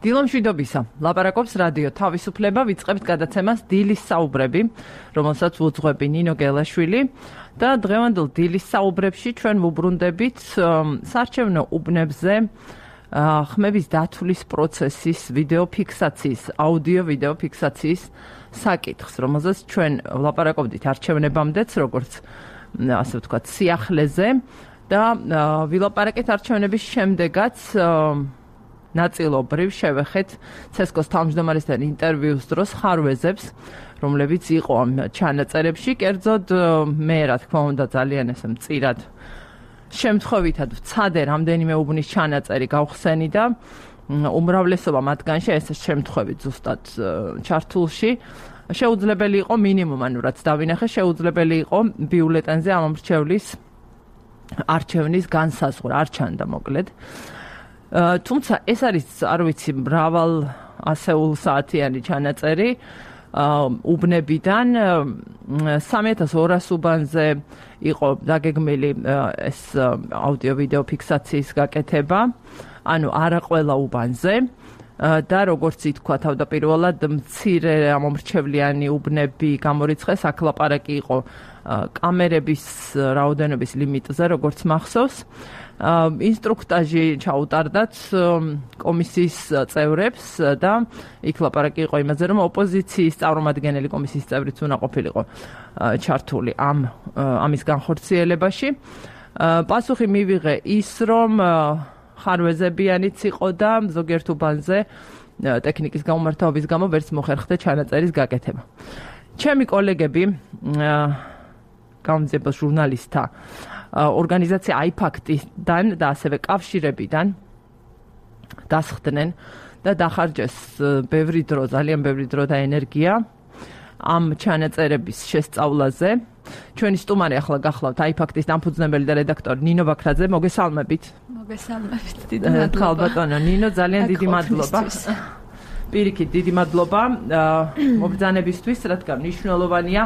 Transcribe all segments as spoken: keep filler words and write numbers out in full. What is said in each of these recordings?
დილომშვიდობისა. ლაპარაკობს რადიო თავისუფლება, ვიწყებთ გადაცემას დილის საუბრები, რომელსაც უძღვები ნინო გელაშვილი და დღევანდელ დილის საუბრებში ჩვენ ვუბრუნდებით საარჩევნო უბნებზე ხმების დათვლის პროცესის ვიდეო ფიქსაციის, აუდიო ვიდეო ფიქსაციის საკითხს, რომელზეც ჩვენ ვლაპარაკობდით არჩევნებამდეც, როგორც ასე ვთქვათ, სიახლეზე და ვილაპარაკეთ არჩევნების შემდეგაც ნაწილობრივ შევეხეთ ცესკოს თავმჯდომარესთან ინტერვიუს დროს ხარვეზებს, რომლებიც იყო ამ ჩანაწერებში, კერძოდ მე რა თქმა უნდა ძალიან ესე მწირად შემთხვევითად ვცადე რამდენიმე უბნის ჩანაწერი გავხსენი და უმრავლესობა მათგანში ეს შემთხვევით ზუსტად ჩართულში შეუძლებელი იყო მინიმუმ ანუ რაც დავინახე შეუძლებელი იყო ბიულეტენზე ამომრჩევლის არჩევნის განსაზღვრა არ ჩანდა მოკლედ თუმცა ეს არის არ ვიცი მრავალ ასეულ საათიანი ჩანაწერი უბნებიდან სამი ათას ორას უბანზე იყო დაგეგმილი ეს აუდიო ვიდეო ფიქსაციის გაკეთება ანუ არა ყველა უბანზე და როგორც ითქვა თავდაპირველად მცირე ამომრჩევლიანი უბნები გამორიცხეს აქ ლაპარაკი იყო კამერების რაოდენობის ლიმიტზე როგორც მახსოვს ინსტრუქტაჟი ჩაუტარდათ კომისიის წევრებს და იქ ლაპარაკი იყო იმაზე, რომ ოპოზიციის წარმომადგენელი კომისიის წევრიც უნდა ყოფილიყო ჩართული ამ ამის განხორციელებაში. პასუხი მივიღე ის, რომ ხარვეზებიანიც იყო და ზოგიერთ უბანზე ტექნიკის გამომართაობის გამო ვერც მოხერხდა ჩანაწერის გაკეთება. ჩემი კოლეგები გამომძიებელ ჟურნალისტთა ორგანიზაცია აიფაქტიდან და ასევე კავშირებიდან დასხდნენ და დახარჯეს ბევრი დრო, ძალიან ბევრი დრო და ენერგია ამ ჩანაწერების შესწავლაზე. ჩვენი სტუმარი ახლა გახლავთ აიფაქტის დამფუძნებელი და რედაქტორი ნინო ბაქრაძე, მოგესალმებით. მოგესალმებით, დიდი მადლობა. ხალბატონო ნინო, ძალიან დიდი მადლობა. პირიქით, დიდი მადლობა მობრძანებისთვის, რადგან მნიშვნელოვანია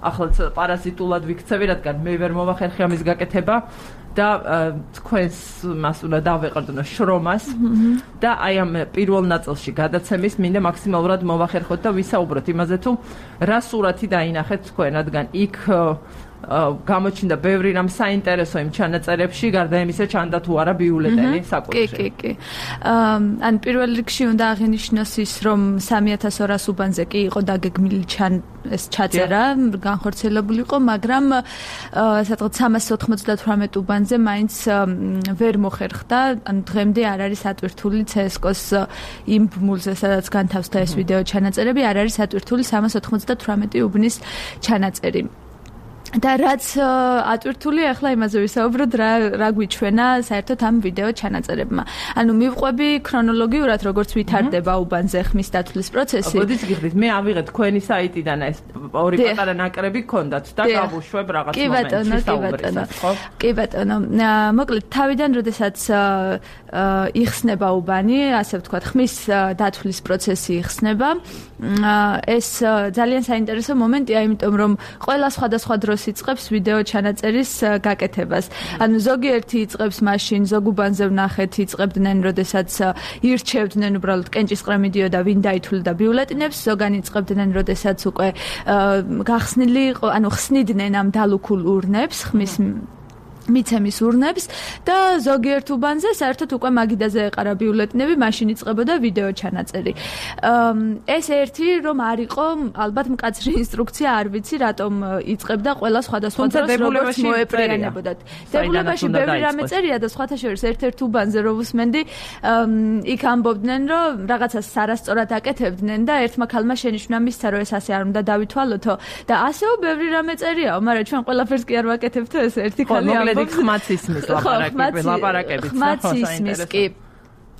ახლა პარაზიტულად ვიქცევი, რადგან მე ვერ მოვახერხე ამის გაკეთება და თქვენს მას უნდა დავეყრდნო შრომას და აი ამ პირველ ნაწილში გადაცემის მინდა მაქსიმალურად მოვახერხოთ და ვისაუბროთ იმაზე თუ რა სურათი დაინახეთ თქვენ, რადგან იქ გამოჩნდა ბევრი რამ საინტერესო იმ ჩანაწერებში, გარდა იმისა ჩანდა თუ არა ბიულეტენი საკუთრებით. კი, კი, კი. ან პირველ რიგში უნდა აღინიშნოს ის, რომ სამი ათას ორას უბანზე კი იყო დაგეგმილი ეს ჩაწერა, განხორციელებული იყო, მაგრამ სადღაც სამას ოთხმოცდათვრამეტ უბანზე მაინც ვერ მოხერხდა, ანუ დღემდე არ არის ატვირთული ცესკოს იმ ბმულზე, სადაც განთავსდა ეს ვიდეო ჩანაწერები, არ არის ატვირთული სამას ოთხმოცდათვრამეტი უბნის ჩანაწერი. და რაც ატვირთული ახლა იმაზე ვისაუბროთ რა რა გვიჩვენა საერთოდ ამ ვიდეო ჩანაწერებმა. ანუ მივყვები ქრონოლოგიურად როგორც ვითარდება უბანზე ხმის დათვლის პროცესი. მოდის გიხდით, მე ავიღე თქვენი საიტიდან ეს ორი პატარა ნაკრები გქონდათ და გავუშვებ რაღაც მომენტში საუბრისას, ხო? კი ბატონო, მოკლედ თავიდან როდესაც იხსნება უბანი, ასე ვთქვათ, ხმის დათვლის პროცესი იხსნება, ეს ძალიან საინტერესო მომენტია, იმიტომ რომ ყველა სხვადასხვა დროს იწყებს ვიდეო ჩანაწერის გაკეთებას. ანუ ზოგიერთი იწყებს მაშინ, ზოგ უბანზე ვნახეთ, იწყებდნენ, როდესაც ირჩევდნენ უბრალოდ კენჭისყრა მიდიოდა ვინ დაითვლიდა ბიულეტინებს, ზოგანი იწყებდნენ, როდესაც უკვე გახსნილი იყო, ანუ ხსნიდნენ ამ დალუქულ ურნებს, ხმის მიცემის ურნებს და ზოგიერთ უბანზე საერთოდ უკვე მაგიდაზე ეყარა ბიულეტინები, მაშინ იწყებოდა ვიდეო ჩანაწერი. ეს ერთი რომ არ იყო ალბათ მკაცრი ინსტრუქცია, არ ვიცი რატომ იწყებდა ყველა სხვადასხვა დროს როგორც მოეპრიანებოდათ. დებულებაში ბევრი რამე წერია და სხვათა შორის ერთ-ერთ უბანზე რო ვუსმენდი, იქ ამბობდნენ რომ რაღაცას არასწორად აკეთებდნენ და ერთმა ქალმა შენიშვნა მისცა რომ ეს ასე არ უნდა დავითვალოთო და ასეო ბევრი რამე წერიაო, მაგრამ ჩვენ ყველაფერს კი არ ვაკეთებთო ეს ერთი ქალი ამბობს. ხმაც ისმის ლაპარაკები, ლაპარაკებიც ხმაც ისმის კი.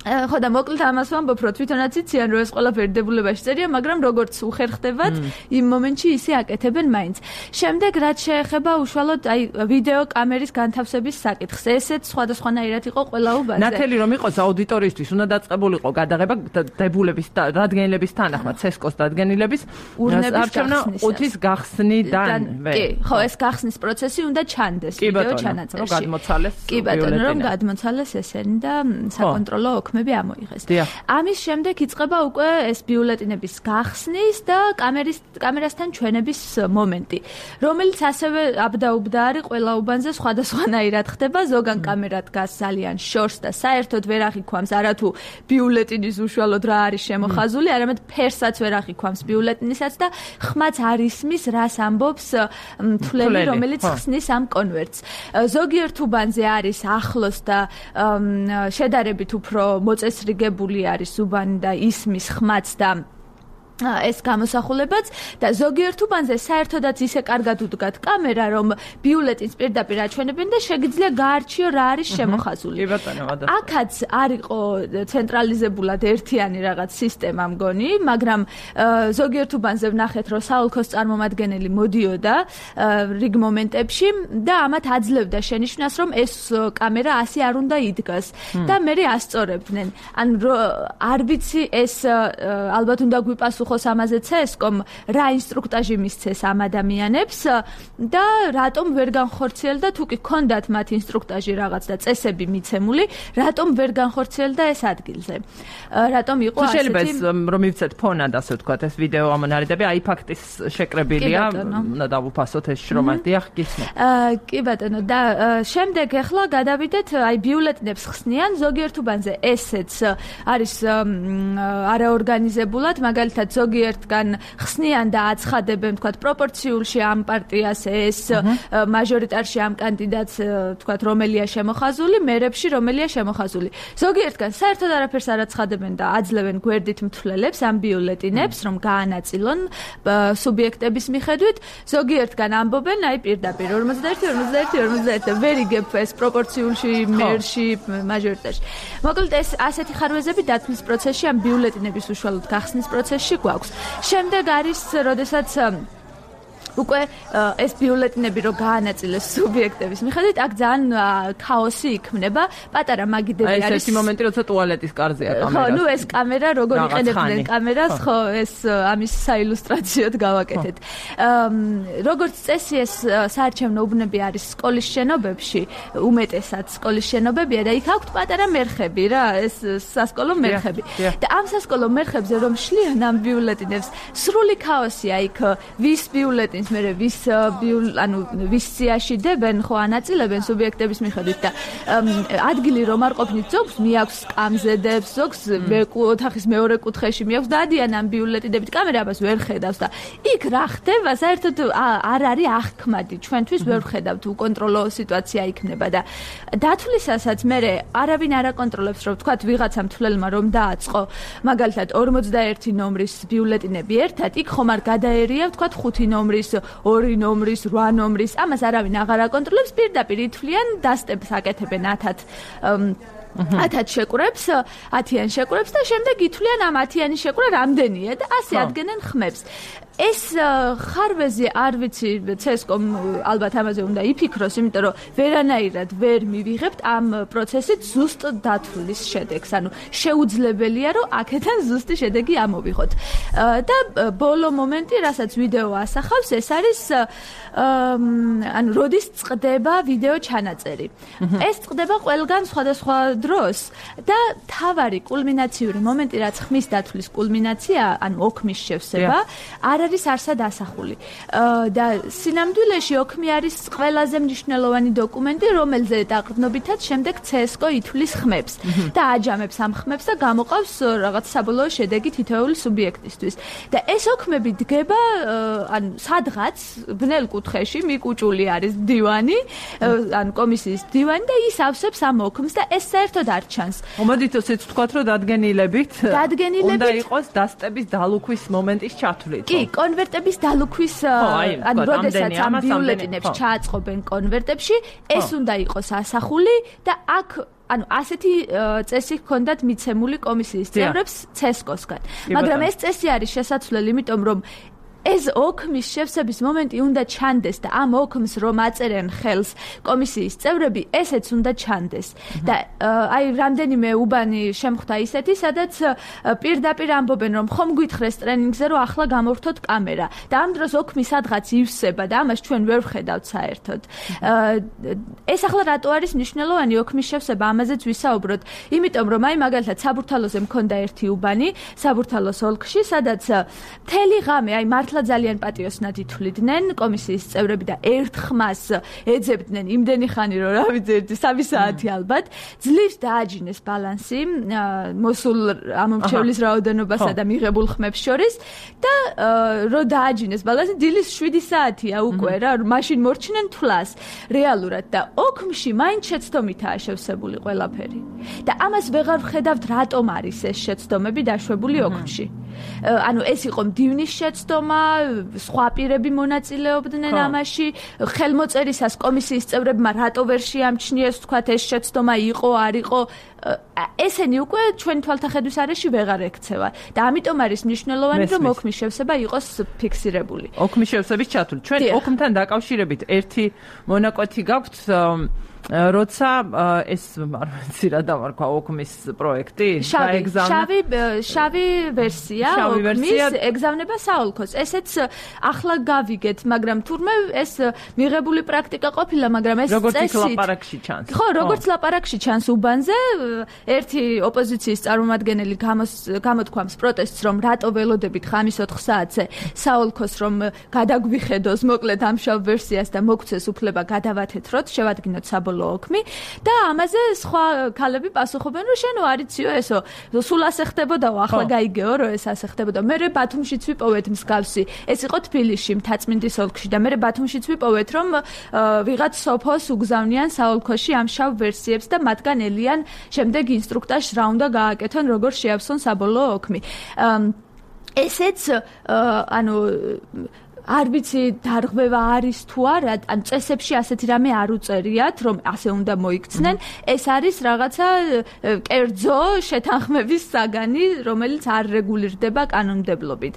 ხო და მოკლედ ამას ვამბობ, რომ თვითონაც იციან, რომ ეს ყველაფერი დებულებაში წერია, მაგრამ როგორც უხერხდებათ, იმ მომენტში ისე აკეთებენ მაინც. შემდეგ რაც შეეხება უშუალოდ აი ვიდეო კამერის განთავსების საკითხს, ესეც სხვადასხვანაირად იყო ყველა უბანზე. ნათელი რომ იყოს აუდიტორიისთვის, უნდა დაწყებულიყო გადაღება დებულების დადგენილების თანახმად, ცესკოს დადგენილების არჩევნა ყუთის გახსნიდან. კი, ხო, ეს გახსნის პროცესი უნდა ჩანდეს ვიდეო ჩანაწერში. რომ გადმოცალეს. კი ბატონო, რომ გადმოცალეს ესენი და საკონტროლო ოქ საქმეები ამოიღეს. ამის შემდეგ იწყება უკვე ეს ბიულეტინების გახსნის და კამერის კამერასთან ჩვენების მომენტი, რომელიც ასევე აბდაუბდა არის ყველა უბანზე სხვადასხვანაირად ხდება, ზოგან კამერა დგას ძალიან შორს და საერთოდ ვერ აღიქვამს არათუ ბიულეტინის უშუალოდ რა არის შემოხაზული, არამედ ფერსაც ვერ აღიქვამს ბიულეტინისაც და ხმაც არ ისმის რას ამბობს მთვლელი, რომელიც ხსნის ამ კონვერტს. ზოგიერთ უბანზე არის ახლოს და შედარებით უფრო მოწესრიგებული არის უბანი და ისმის ხმაც და ეს გამოსახულებაც და ზოგიერთ უბანზე საერთოდაც ისე კარგად უდგათ კამერა, რომ ბიულეტინს პირდაპირ აჩვენებენ და შეგიძლია გაარჩიო რა არის შემოხაზული. აქაც არ იყო ცენტრალიზებულად ერთიანი რაღაც სისტემა მგონი, მაგრამ ზოგიერთ უბანზე ვნახეთ, რომ საოლქოს წარმომადგენელი მოდიოდა რიგ მომენტებში და ამათ აძლევდა შენიშვნას, რომ ეს კამერა ასე არ უნდა იდგას და მერე ასწორებდნენ. ან არ ვიცი, ეს ალბათ უნდა გვიპასუხოს ამაზე ცესკომ რა ინსტრუქტაჟი მისცეს ამ ადამიანებს და რატომ ვერ განხორციელდა, თუ კი ქონდათ მათ ინსტრუქტაჟი რაღაც და წესები მიცემული, რატომ ვერ განხორციელდა ეს ადგილზე. რატომ იყო ასეთი შეიძლება რომ მივცეთ ფონად, ასე ვთქვათ, ეს ვიდეო ამონარიდები, აი ფაქტის შეკრებილია, უნდა დავუფასოთ ეს შრომა. დიახ, გისმენთ. კი ბატონო, და შემდეგ ახლა გადავიდეთ, აი ბიულეტინებს ხსნიან ზოგიერთ უბანზე ესეც არის არაორგანიზებულად, მაგალითად ზოგიერთგან ხსნიან და აცხადებენ, თქვათ, პროპორციულში ამ პარტიას ეს, მაჟორიტარში ამ კანდიდატს, თქვათ, რომელია შემოხაზული, მერებში რომელია შემოხაზული. ზოგიერთგან საერთოდ არაფერს არ აცხადებენ და აძლევენ გვერდით მთვლელებს ამ ბიულეტინებს, რომ გაანაწილონ სუბიექტების მიხედვით. ზოგიერთგან ამბობენ, აი პირდაპირ ორმოცდაერთი ორმოცდაერთი ორმოცდაერთი და ვერ იგებ ეს პროპორციულში, მერში, მაჟორიტარში. მოკლედ ეს ასეთი ხარვეზები დათვლის პროცესში, ამ ბიულეტინების უშუალოდ გახსნის პროცესში გვაქვს. შემდეგ არის, როდესაც უკვე ეს ბიულეტინები რო გაანაწილეს სუბიექტების მიხედვით, აქ ძალიან ქაოსი იქმნება, პატარა მაგიდები არის. აი ეს ერთი მომენტი, როცა ტუალეტის კარზეა კამერა. ხო, ნუ ეს კამერა როგორ იყენებდნენ კამერას, ხო, ეს ამის საილუსტრაციოდ გავაკეთეთ. როგორც წესი, ეს საარჩევნო უბნები არის სკოლის შენობებში, უმეტესად სკოლის შენობებია და იქ აქვთ პატარა მერხები რა, ეს სასკოლო მერხები. და ამ სასკოლო მერხებზე რომ შლიან ამ ბიულეტინებს, სრული ქაოსია იქ, ვის ბიულეტინი მერე ვის ანუ ვის სიაში დებენ, ხო ანაწილებენ სუბიექტების მიხედვით და ადგილი რომ არ ყოფნით, ზოგს მიაქვს სკამზედებს, ზოგს ოთახის მეორე კუთხეში მიაქვს დადიან ამ ბიულეტინებით, კამერა ამას ვერ ხედავს და იქ რა ხდება, საერთოდ არ არის აღქმადი, ჩვენთვის ვერ ვხედავთ, უკონტროლო სიტუაცია იქნება და დათვლისასაც მერე არავინ არ აკონტროლებს, რომ თქვათ ვიღაცა მთვლელმა რომ დააწყო მაგალითად ორმოცდაერთი ნომრის ბიულეტინები ერთად, იქ ხომ არ გადაერია, თქვათ ხუთი ნომრის ორი ნომრის, რვა ნომრის, ამას არავინ აღარ აკონტროლებს, პირდაპირ ითვლიან, დასტებს აკეთებენ ათად ათად შეკვრებს, ათიან შეკვრებს და შემდეგ ითვლიან ამ ათიანი შეკვრა რამდენია და ასე ადგენენ ხმებს. ეს ხარვეზი არ ვიცი, ცესკომ ალბათ ამაზე უნდა იფიქროს, იმიტომ რომ ვერანაირად ვერ მივიღებთ ამ პროცესით ზუსტ დათვლის შედეგს. ანუ შეუძლებელია, რომ აქედან ზუსტი შედეგი ამოვიღოთ. და ბოლო მომენტი, რასაც ვიდეო ასახავს, ეს არის ანუ როდის წყდება ვიდეო ჩანაწერი. ეს წყდება ყველგან სხვადასხვა დროს და თავარი კულმინაციური მომენტი, რაც ხმის დათვლის კულმინაცია, ანუ ოქმის შევსება, არ არის არსად ასახული. და სინამდვილეში ოქმი არის ყველაზე მნიშვნელოვანი დოკუმენტი, რომელზე დაყრდნობითაც შემდეგ ცესკო ითვლის ხმებს და აჯამებს ამ ხმებს და გამოყავს რაღაც საბოლოო შედეგი თითოეული სუბიექტისთვის. და ეს ოქმები დგება ან სადღაც ბნელ კუთხეში მიკუჭული არის დივანი, ან კომისიის დივანი და ის ავსებს ამ ოქმს და ეს საერთოდ არ ჩანს. მომოდით ისიც ვთქვათ, რომ დადგენილებით დადგენილებით უნდა იყოს დასტების დალუქვის მომენტის ჩათვლით. კი, კონვერტების დალუქვის, ან როდესაც ამ ბიულეტინებს ჩააწყობენ კონვერტებში, ეს უნდა იყოს ასახული და აქ ანუ ასეთი წესი ჰქონდათ მიცემული კომისიის წევრებს ცესკოსგან. მაგრამ ეს წესი არის შესაძლებელი, იმიტომ რომ ეს ოქმის შევსების მომენტი უნდა ჩანდეს და ამ ოქმს რომ აწერენ ხელს კომისიის წევრები, ესეც უნდა ჩანდეს. და აი რამდენიმე უბანი შემხვდა ისეთი, სადაც პირდაპირ ამბობენ რომ ხომ გვითხრეს ტრენინგზე რომ ახლა გამორთოთ კამერა და ამ დროს ოქმი სადღაც ივსება და ამას ჩვენ ვერ ვხედავთ საერთოდ. ეს ახლა რატო არის მნიშვნელოვანი ოქმის შევსება, ამაზეც ვისაუბროთ. იმიტომ რომ აი მაგალითად საბურთალოზე მქონდა ერთი უბანი, საბურთალოს ოლქში, სადაც მთელი ღამე აი მართლა ძალიან პატიოსნად ითვლიდნენ კომისიის წევრები და ერთ ხმას ეძებდნენ იმდენი ხანი რომ რა ვიცი ერთი სამი საათი ალბათ. ძლივს დააჯინეს ბალანსი მოსულ ამომრჩევლის რაოდენობასა და მიღებულ ხმებს შორის და რომ დააჯინეს ბალანსი დილის შვიდი საათია უკვე რა, მაშინ მორჩნენ თვლას რეალურად და ოქმში მაინც შეცდომითაა შევსებული ყველაფერი. და ამას ვეღარ ვხედავთ რატომ არის ეს შეცდომები დაშვებული ოქმში. ანუ ეს იყო მდივნის შეცდომა, სხვა პირები მონაწილეობდნენ ამაში, ხელმოწერისას კომისიის წევრებმა რატო ვერ შეამჩნიეს თქვათ ეს შეცდომა იყო, არ იყო, ესენი უკვე ჩვენ თვალთახედვის არეში ვეღარ ექცევა და ამიტომ არის მნიშვნელოვანი რომ ოქმის შევსება იყოს ფიქსირებული. ოქმის შევსების ჩათვლი. ჩვენ ოქმთან დაკავშირებით ერთი მონაკვეთი გაქვთ როცა ეს მართლა დავარქვა ოქმის პროექტი შავი შავი ვერსია ოქმის ეგზავნება საოლქოს. ესეც ახლა გავიგეთ, მაგრამ თურმე ეს მიღებული პრაქტიკა ყოფილა, მაგრამ ეს როგორც ლაპარაკში ჩანს. ხო, როგორც ლაპარაკში ჩანს უბანზე, ერთი ოპოზიციის წარმომადგენელი გამოთქვამს პროტესტს, რომ რატო ველოდებით ხამის ოთხ საათზე საოლქოს რომ გადაგვიხედოს მოკლედ ამ შავ ვერსიას და მოგცეს უფლება გადავათეთროთ, შევადგინოთ საბოლოო ოქმი და ამაზე სხვა ქალები პასუხობენ რომ შენო არიციო ესო სულ ასე ხდებოდაო, ახლა გაიგეო რომ ეს ასე ხდებოდა. მერე ბათუმშიც ვიპოვეთ მსგავსი, ეს იყო თბილისში მთაწმინდის ოლქში და მერე ბათუმშიც ვიპოვეთ რომ ვიღაც სოფოს უგზავნიან საოლქოში ამ შავ ვერსიებს და მათგან ელიან შემდეგ ინსტრუქტაჟს რა უნდა გააკეთონ, როგორ შეავსონ საბოლოო ოქმი. ესეც ანუ არ ვიცი დარღვევა არის თუ არა, ან წესებში ასეთი რამე არ უწერიათ, რომ ასე უნდა მოიქცნენ. ეს არის რაღაცა კერძო შეთანხმების საგანი, რომელიც არ რეგულირდება კანონმდებლობით.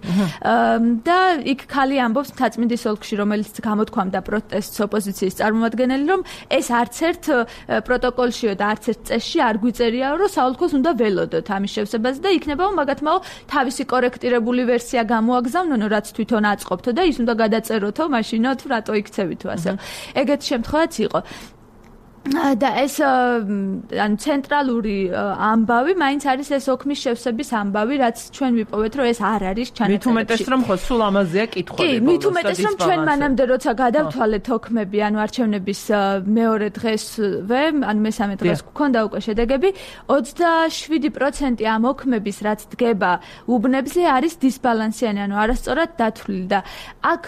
და იქ ქალი ამბობს მთაწმინდის ოლქში, რომელიც გამოთქვამდა პროტესტს ოპოზიციის წარმომადგენელი, რომ ეს არც ერთ პროტოკოლშიო და არც ერთ წესში არ გვიწერიაო, რომ საოლქოს უნდა ველოდოთ ამის შევსებაზე და იქნებაო მაგათმაო თავისი კორექტირებული ვერსია გამოაგზავნონო, რაც თვითონ აწყობთო და უნდა გადაწეროთო მაშინო თუ რატო იქცევითო ასე. ეგეთ შემთხვევაც იყო. და ეს ანუ ცენტრალური ამბავი მაინც არის ეს ოქმის შევსების ამბავი, რაც ჩვენ ვიპოვეთ, რომ ეს არ არის ჩანაწერებში. მით უმეტეს რომ ხო სულ ამაზეა კითხვები. კი, მით უმეტეს რომ ჩვენ მანამდე როცა გადავთვალეთ ოქმები, ანუ არჩევნების მეორე დღესვე, ანუ მესამე დღეს გვქონდა უკვე შედეგები, ოცდაშვიდი პროცენტი ამ ოქმების რაც დგება უბნებზე არის დისბალანსიანი, ანუ არასწორად დათვლილი და აქ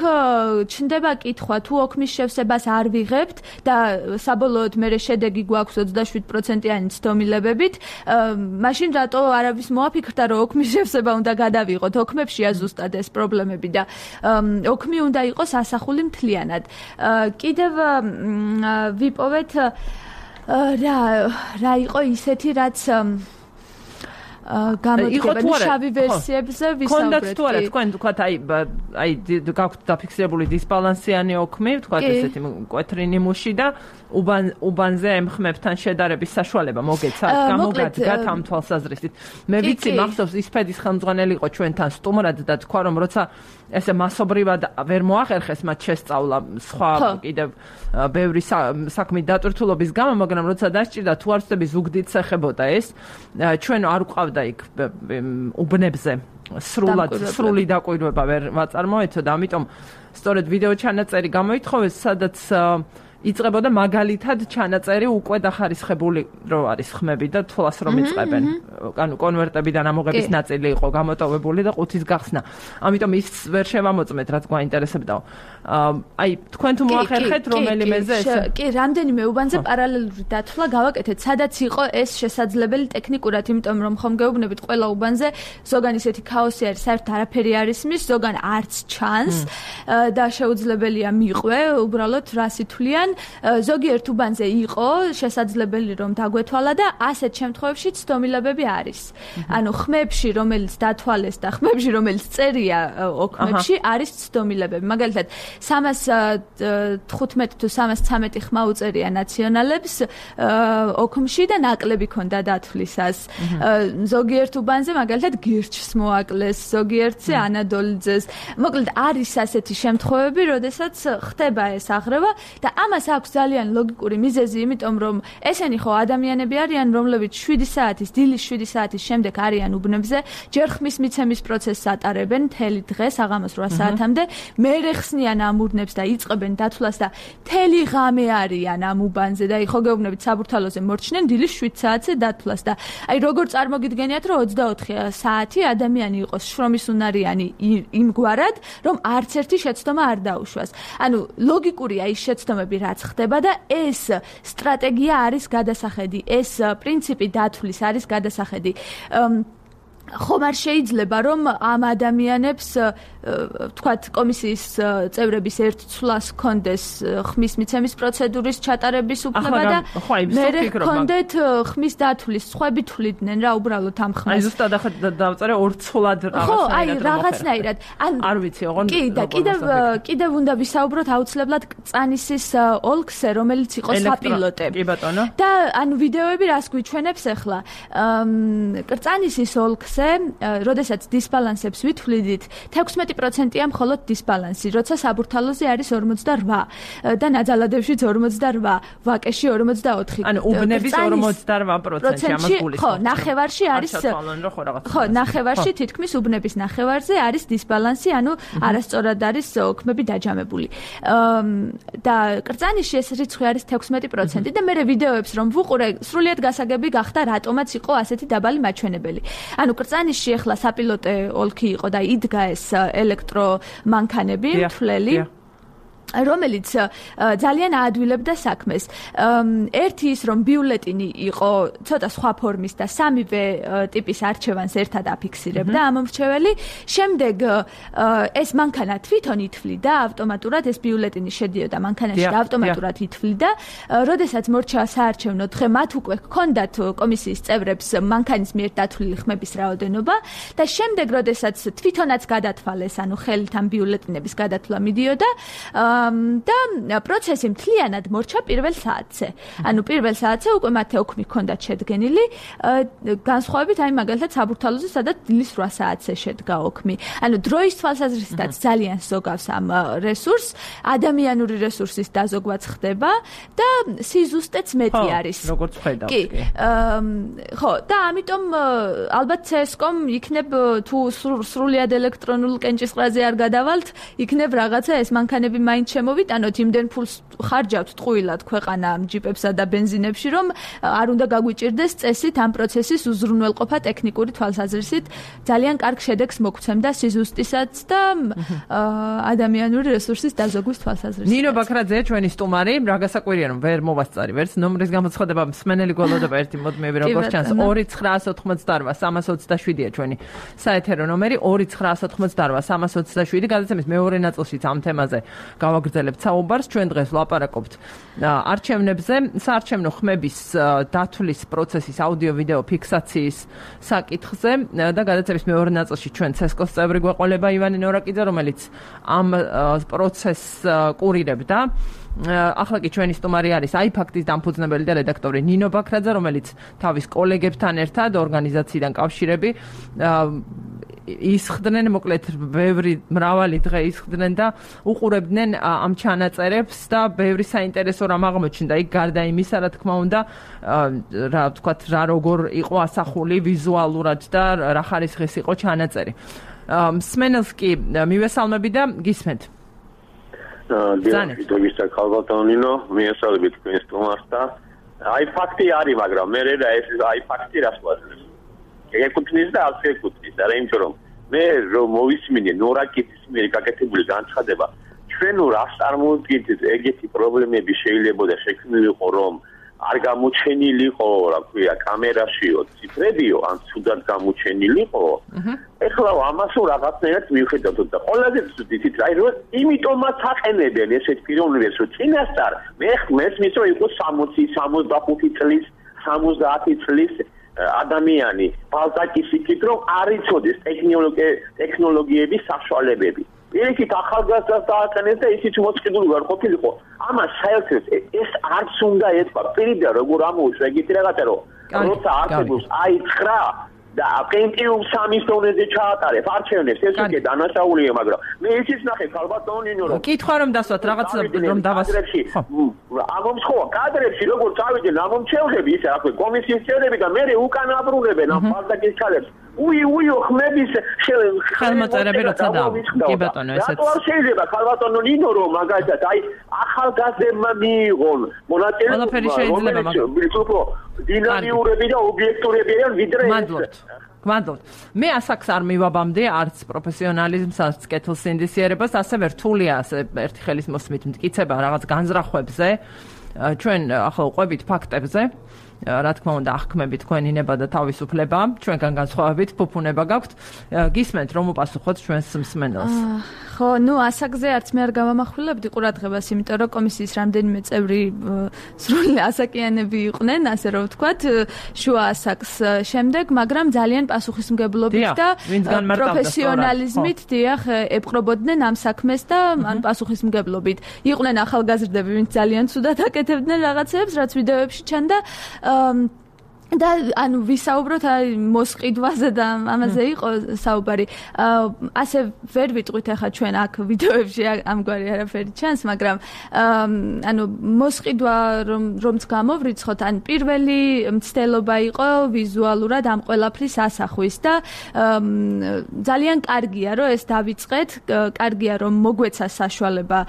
ჩნდება კითხვა, თუ ოქმის შევსებას არ ვიღებთ და საბოლოოდ მერე შედეგი გვაქვს ოცდაშვიდ პროცენტიანი ცდომილებებით, მაშინ რატო არავის მოაფიქრდა, რომ ოქმის შევსება უნდა გადავიღოთ, ოქმებშია ზუსტად ეს პრობლემები და ოქმი უნდა იყოს ასახული მთლიანად. კიდევ ვიპოვეთ რა რა იყო ისეთი, რაც გამოდგება შავი ვერსიებზე ვისაუბრეთ. კონდაც თუ არა, თქვენ თქვათ აი აი გაქვთ დაფიქსირებული დისბალანსიანი ოქმი, თქვათ ესეთი მკვეთრი ნიმუში და უბან უბანზე ემხმებთან შედარების საშუალება მოგეცათ, გამოგადგათ ამ თვალსაზრისით. მე ვიცი, მახსოვს ისფედის ხელმძღვანელი იყო ჩვენთან სტუმრად და თქვა რომ როცა ესე მასობრივად ვერ მოახერხეს მათ შესწავლა სხვა კიდევ ბევრი საქმის დატვირთულობის გამო, მაგრამ როცა დასჭირდა თუ არ ვწდები ზუგდიდს ეხებოდა ეს, ჩვენ არ ვყავდა იქ უბნებზე სრულად სრული დაკვირვება ვერ ვაწარმოეთო და ამიტომ სწორედ ვიდეო ჩანაწერი გამოითხოვეს, სადაც იწყებოდა მაგალითად ჩანაწერი უკვე დახარისხებული რო არის ხმები და თვლას რომ იწყებენ. ანუ კონვერტებიდან ამოღების ნაწილი იყო გამოტოვებული და ყუთის გახსნა. ამიტომ ის ვერ შევამოწმეთ, რაც გვაინტერესებდაო. აი თქვენ თუ მოახერხეთ რომელიმეზე ეს კი, რამდენიმე უბანზე პარალელური დათვლა გავაკეთეთ, სადაც იყო ეს შესაძლებელი ტექნიკურად, იმიტომ რომ ხომ გეუბნებით ყველა უბანზე ზოგან ისეთი ქაოსი არის, საერთოდ არაფერი არ ისმის, ზოგან არც ჩანს და შეუძლებელია მიყვე უბრალოდ რას ითვლიან. მაგრამ ზოგიერთ უბანზე იყო შესაძლებელი რომ დაგვეთვალა და ასეთ შემთხვევებში ცდომილებები არის. ანუ ხმებში რომელიც დათვალეს და ხმებში რომელიც წერია ოქმებში არის ცდომილებები. მაგალითად სამას თხუთმეტი თუ სამას ცამეტი ხმა უწერია ნაციონალებს ოქმში და ნაკლები ქონდა დათვლისას. ზოგიერთ უბანზე მაგალითად გირჩს მოაკლეს, ზოგიერთზე ანადოლიძეს. მოკლედ არის ასეთი შემთხვევები, როდესაც ხდება ეს აღრევა და ამას აქვს ძალიან ლოგიკური მიზეზი, იმიტომ რომ ესენი ხო ადამიანები არიან, რომლებიც შვიდი საათის, დილის შვიდი საათის შემდეგ არიან უბნებზე, ჯერ ხმის მიცემის პროცესს ატარებენ მთელი დღე საღამოს რვა საათამდე, მერე ხსნიან ამ უბნებს და იწყებენ დათვლას და მთელი ღამე არიან ამ უბანზე და ხო გეუბნებით საბურთალოზე მორჩნენ დილის შვიდ საათზე დათვლას და აი როგორ წარმოგიდგენიათ რომ ოცდაოთხი საათი ადამიანი იყოს შრომისუნარიანი იმგვარად რომ არც ერთი შეცდომა არ დაუშვას. ანუ ლოგიკურია ის შეცდომები რაც ხდება და ეს სტრატეგია არის გადასახედი, ეს პრინციპი დათვლის არის გადასახედი. ხომ არ შეიძლება რომ ამ ადამიანებს ვთქვათ კომისიის წევრების ერთ ცვლას კონდეს ხმის მიცემის პროცედურის ჩატარების უფლება და მერე კონდეთ ხმის დათვლის სხვები თვლიდნენ რა უბრალოდ ამ ხმას. აი ზუსტად ახლა დავწერე ორ ცვლად რაღაცნაირად. ხო, აი რაღაცნაირად. ან არ ვიცი, ოღონდ კი და კიდევ კიდევ უნდა ვისაუბროთ აუცილებლად კრწანისის ოლქზე, რომელიც იყო საპილოტე. კი ბატონო. და ანუ ვიდეოები რას გვიჩვენებს ახლა? კრწანისის ოლქს როდესაც დისბალანსებს ვითვლიდით, თექვსმეტი პროცენტია მხოლოდ დისბალანსი, როცა საბურთალოზე არის ორმოცდარვა და ნაძალადევშიც ორმოცდარვა, ვაკეში ორმოცდაოთხი. ანუ უბნების ორმოცდარვა პროცენტი ამას გულისხმობს. ხო, ნახევარში არის ხო, ნახევარში თითქმის უბნების ნახევარზე არის დისბალანსი, ანუ არასწორად არის ოქმები დაჯამებული. და კრწანიში ეს რიცხვი არის თექვსმეტი პროცენტი და მე ვიდეოებს რომ ვუყურე, სრულიად გასაგები გახდა რატომაც იყო ასეთი დაბალი მაჩვენებელი. ანუ კრწანიში ახლა საპილოტე ოლქი იყო და იდგა ეს ელექტრომანქანები, მთვლელი რომელიც ძალიან აადვილებდა საქმეს. ერთი ის რომ ბიულეტინი იყო ცოტა სხვა ფორმის და სამივე ტიპის არჩევანს ერთად აფიქსირებდა ამ მრჩეველი. შემდეგ ეს მანქანა თვითონ ითვლიდა ავტომატურად, ეს ბიულეტინი შედიოდა მანქანაში და ავტომატურად ითვლიდა. როდესაც მორჩა საარჩევნო დღე, მათ უკვე ჰქონდათ კომისიის წევრებს მანქანის მიერ დათვლილი ხმების რაოდენობა და შემდეგ როდესაც თვითონაც გადათვალეს, ანუ ხელით ამ ბიულეტინების გადათვლა მიდიოდა და პროცესი მთლიანად მორჩა პირველ საათზე. ანუ პირველ საათზე უკვე მათ ოქმი ჰქონდათ შედგენილი, განსხვავებით აი მაგალითად საბურთალოზე, სადაც დილის რვა საათზე შედგა ოქმი. ანუ დროის თვალსაზრისითაც ძალიან ზოგავს ამ რესურსს, ადამიანური რესურსის დაზოგვაც ხდება და სიზუსტეც მეტი არის. როგორც ხედავთ. კი. ხო, და ამიტომ ალბათ ცესკომ იქნებ თუ სრულიად ელექტრონულ კენჭისყრაზე არ გადავალთ, იქნებ რაღაცა ეს მანქანები მაინც შემოვიტანოთ, იმდენ ფულს ხარჯავთ ტყუილად ქვეყანა ამ ჯიპებსა და ბენზინებში, რომ არ უნდა გაგვიჭირდეს წესით ამ პროცესის უზრუნველყოფა ტექნიკური თვალსაზრისით. ძალიან კარგ შედეგს მოგცემდა სიზუსტისაც და ადამიანური რესურსის დაზოგვის თვალსაზრისით. ნინო ბაქრაძე, ჩვენი სტუმარი, რა გასაკვირია რომ ვერ მოვასწარი ვერც ნომრის გამოცხადება, მსმენელი გველოდება ერთი მოდმეები როგორც ჩანს ორი ცხრაას ოთხმოცდარვა სამას ოცდაშვიდია ჩვენი საეთერო ნომერი ორი ცხრაას ოთხმოცდარვა სამას ოცდაშვიდი. გადაცემის მეორე ნაწილშიც ამ თემაზე გავაგრძელებთ საუბარს. ჩვენ დღეს ვლაპარაკობთ არჩევნებზე, საარჩევნო ხმების დათვლის პროცესის აუდიო-ვიდეო ფიქსაციის საკითხზე და გადაცემის მეორე ნაწილში ჩვენ ცესკოს წევრი გვეყოლება ივანე ნორაკიძე, რომელიც ამ პროცესს კურირებდა. ახლა კი ჩვენი სტუმარი არის აიფაქტის დამფუძნებელი და რედაქტორი ნინო ბაქრაძე, რომელიც თავის კოლეგებთან ერთად ორგანიზაციიდან კავშირები ისხდნენ, მოკლედ ბევრი მრავალი დღე ისხდნენ და უყურებდნენ ამ ჩანაწერებს და ბევრი საინტერესო რამ აღმოჩნდა იქ გარდა იმისა, რა თქმა უნდა, რა ვთქვათ, რა როგორ იყო ასახული ვიზუალურად და რა ხარისხის იყო ჩანაწერი. მსმენელს კი მივესალმები და გისმენთ. დიახ, ქალბატონინო, მიესალმებით თქვენს სტუმარს და აი ფაქტი არის, მაგრამ მე რა ეს აი ფაქტი რას ვაძლევს? ეკუთვნის და არ ეკუთვნის, არა იმიტომ რომ მე რომ მოვისმინე ნორაკიძის მიერ გაკეთებული განცხადება, ჩვენ რას წარმოვიდგინეთ, ეგეთი პრობლემები შეიძლება და შექმნილიყო, რომ არ გამოჩენილიყო, რა ქვია, კამერაშიო, ციფრებიო, ან ცუდად გამოჩენილიყო. ეხლა ამას რაღაცნაირად მივხედავთ და ყველაზე ცუდით რა იყო, იმიტომაც აყენებენ ესეთ პიროვნებებს, რომ წინასწარ მე მესმის რომ იყო სამოცი, სამოცდახუთი წლის, სამოცდაათი წლის ადამიანი, ბალტაკის იქით რომ არ იცოდეს ტექნოლოგიების საშუალებები. Ერთით ახალგაზრდას დააყენეს და ისიც მოწყიდული არ ყოფილიყო. ამას საერთოდ ეს არც უნდა ეთქვა. პირიდან როგორ ამოუშვა ეგეთი რაღაცა რომ როცა არსებობს აი ცხრა და პენტიუმ სამის დონეზე ჩაატარებ არჩევნებს ეს უკვე დანაშაულია, მაგრამ მე ისიც ნახე ქალბატონო ნინო რომ კითხვა რომ დასვათ რაღაც რომ დავასწრებში ამომსხოა კადრებში როგორ წავიდნენ ამომრჩევლები ისე რა ქვია კომისიის წევრები და მე უკან აბრუნებენ ამ ბალტაკის ქალებს უი უი ხმების ხელმოწერები როცა და კი ბატონო ესეც რატო არ შეიძლება ქალბატონო ნინო რომ მაგალითად აი ახალგაზრდებმა მიიღონ მონაწილეობა ყველაფერი შეიძლება მაგრამ დინამიურები და ობიექტურები არიან ვიდრე მადლობთ გმადლობთ მე ასაკს არ მივაბამდე არც პროფესიონალიზმს არც კეთილ სინდისიერებას ასევე რთულია ასე ერთი ხელის მოსმით მტკიცება რაღაც განზრახვებზე ჩვენ ახლა ყვებით ფაქტებზე რა თქმა უნდა ახქმებით თქვენი ნება და თავისუფლება ჩვენგან განსხვავებით ფუფუნება გაქვთ გისმენთ რომ უპასუხოთ ჩვენს მსმენელს ხო ნუ ასაკზე არც მე არ გავამახვილებდი ყურადღებას იმიტომ რომ კომისიის რამდენიმე წევრი სრული ასაკიანები იყვნენ ასე რომ ვთქვათ შუა ასაკს შემდეგ მაგრამ ძალიან პასუხისმგებლობით და პროფესიონალიზმით დიახ ეპყრობოდნენ ამ საქმეს და ან პასუხისმგებლობით იყვნენ ახალგაზრდები ვინც ძალიან ცუდად აკეთებდნენ რაღაცებს რაც ვიდეოებში ჩანდა და ანუ ვისაუბროთ აი მოსყიდვაზე და ამაზე იყო საუბარი. ასე ვერ ვიტყვით ახლა ჩვენ აქ ვიდეოებში ამგვარი არაფერი ჩანს, მაგრამ ანუ მოსყიდვა რომ რომც გამოვრიცხოთ, ან პირველი მცდელობა იყო ვიზუალურად ამ ყველაფრის ასახვის და ძალიან კარგია რომ ეს დავიწყეთ, კარგია რომ მოგვეცა საშუალება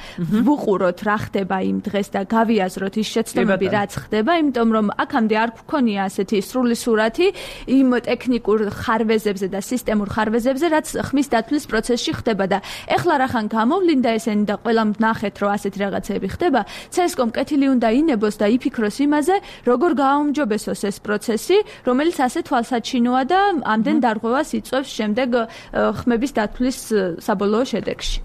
ვუყუროთ რა ხდება იმ დღეს და გავიაზროთ ის შეცდომები რაც ხდება, იმიტომ რომ აქამდე არ გქონია ასე სრული სურათი იმ ტექნიკურ ხარვეზებზე და სისტემურ ხარვეზებზე, რაც ხმის დათვლის პროცესში ხდება და ეხლა რახან გამოვლინდა ესენი და ყველამ ნახეთ, რომ ასეთი რაღაცები ხდება, ცესკომ კეთილი უნდა ინებოს და იფიქროს იმაზე, როგორ გააუმჯობესოს ეს პროცესი, რომელიც ასე თვალსაჩინოა და ამდენ დარღვევას იწვევს შემდეგ ხმების დათვლის საბოლოო შედეგში.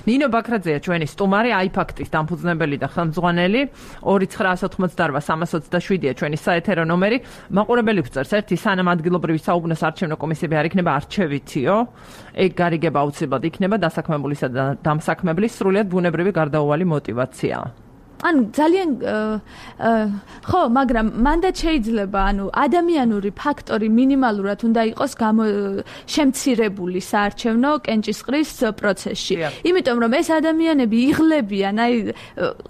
ნინო ბაქრაძეა ჩვენი სტუმარი აიფაქტის დამფუძნებელი და ხელმძღვანელი ორი ცხრაასი ოცდაოთხ სამას ოცდაშვიდია ჩვენი საეთერო ნომერი. მაყურებელი გვწერს ერთი სანამ ადგილობრივი საუბნოს არჩევნო კომისიები არ იქნება არჩევითიო ეგ გარიგება აუცილებლად იქნება დასაქმებულისა და დამსაქმებლის სრულიად ბუნებრივი გარდაუვალი მოტივაცია ანუ ძალიან ხო, მაგრამ მანდაც შეიძლება, ანუ ადამიანური ფაქტორი მინიმალურად უნდა იყოს შემცირებული საარჩევნო კენჭისყრის პროცესში. იმიტომ რომ ეს ადამიანები იღლებიან, აი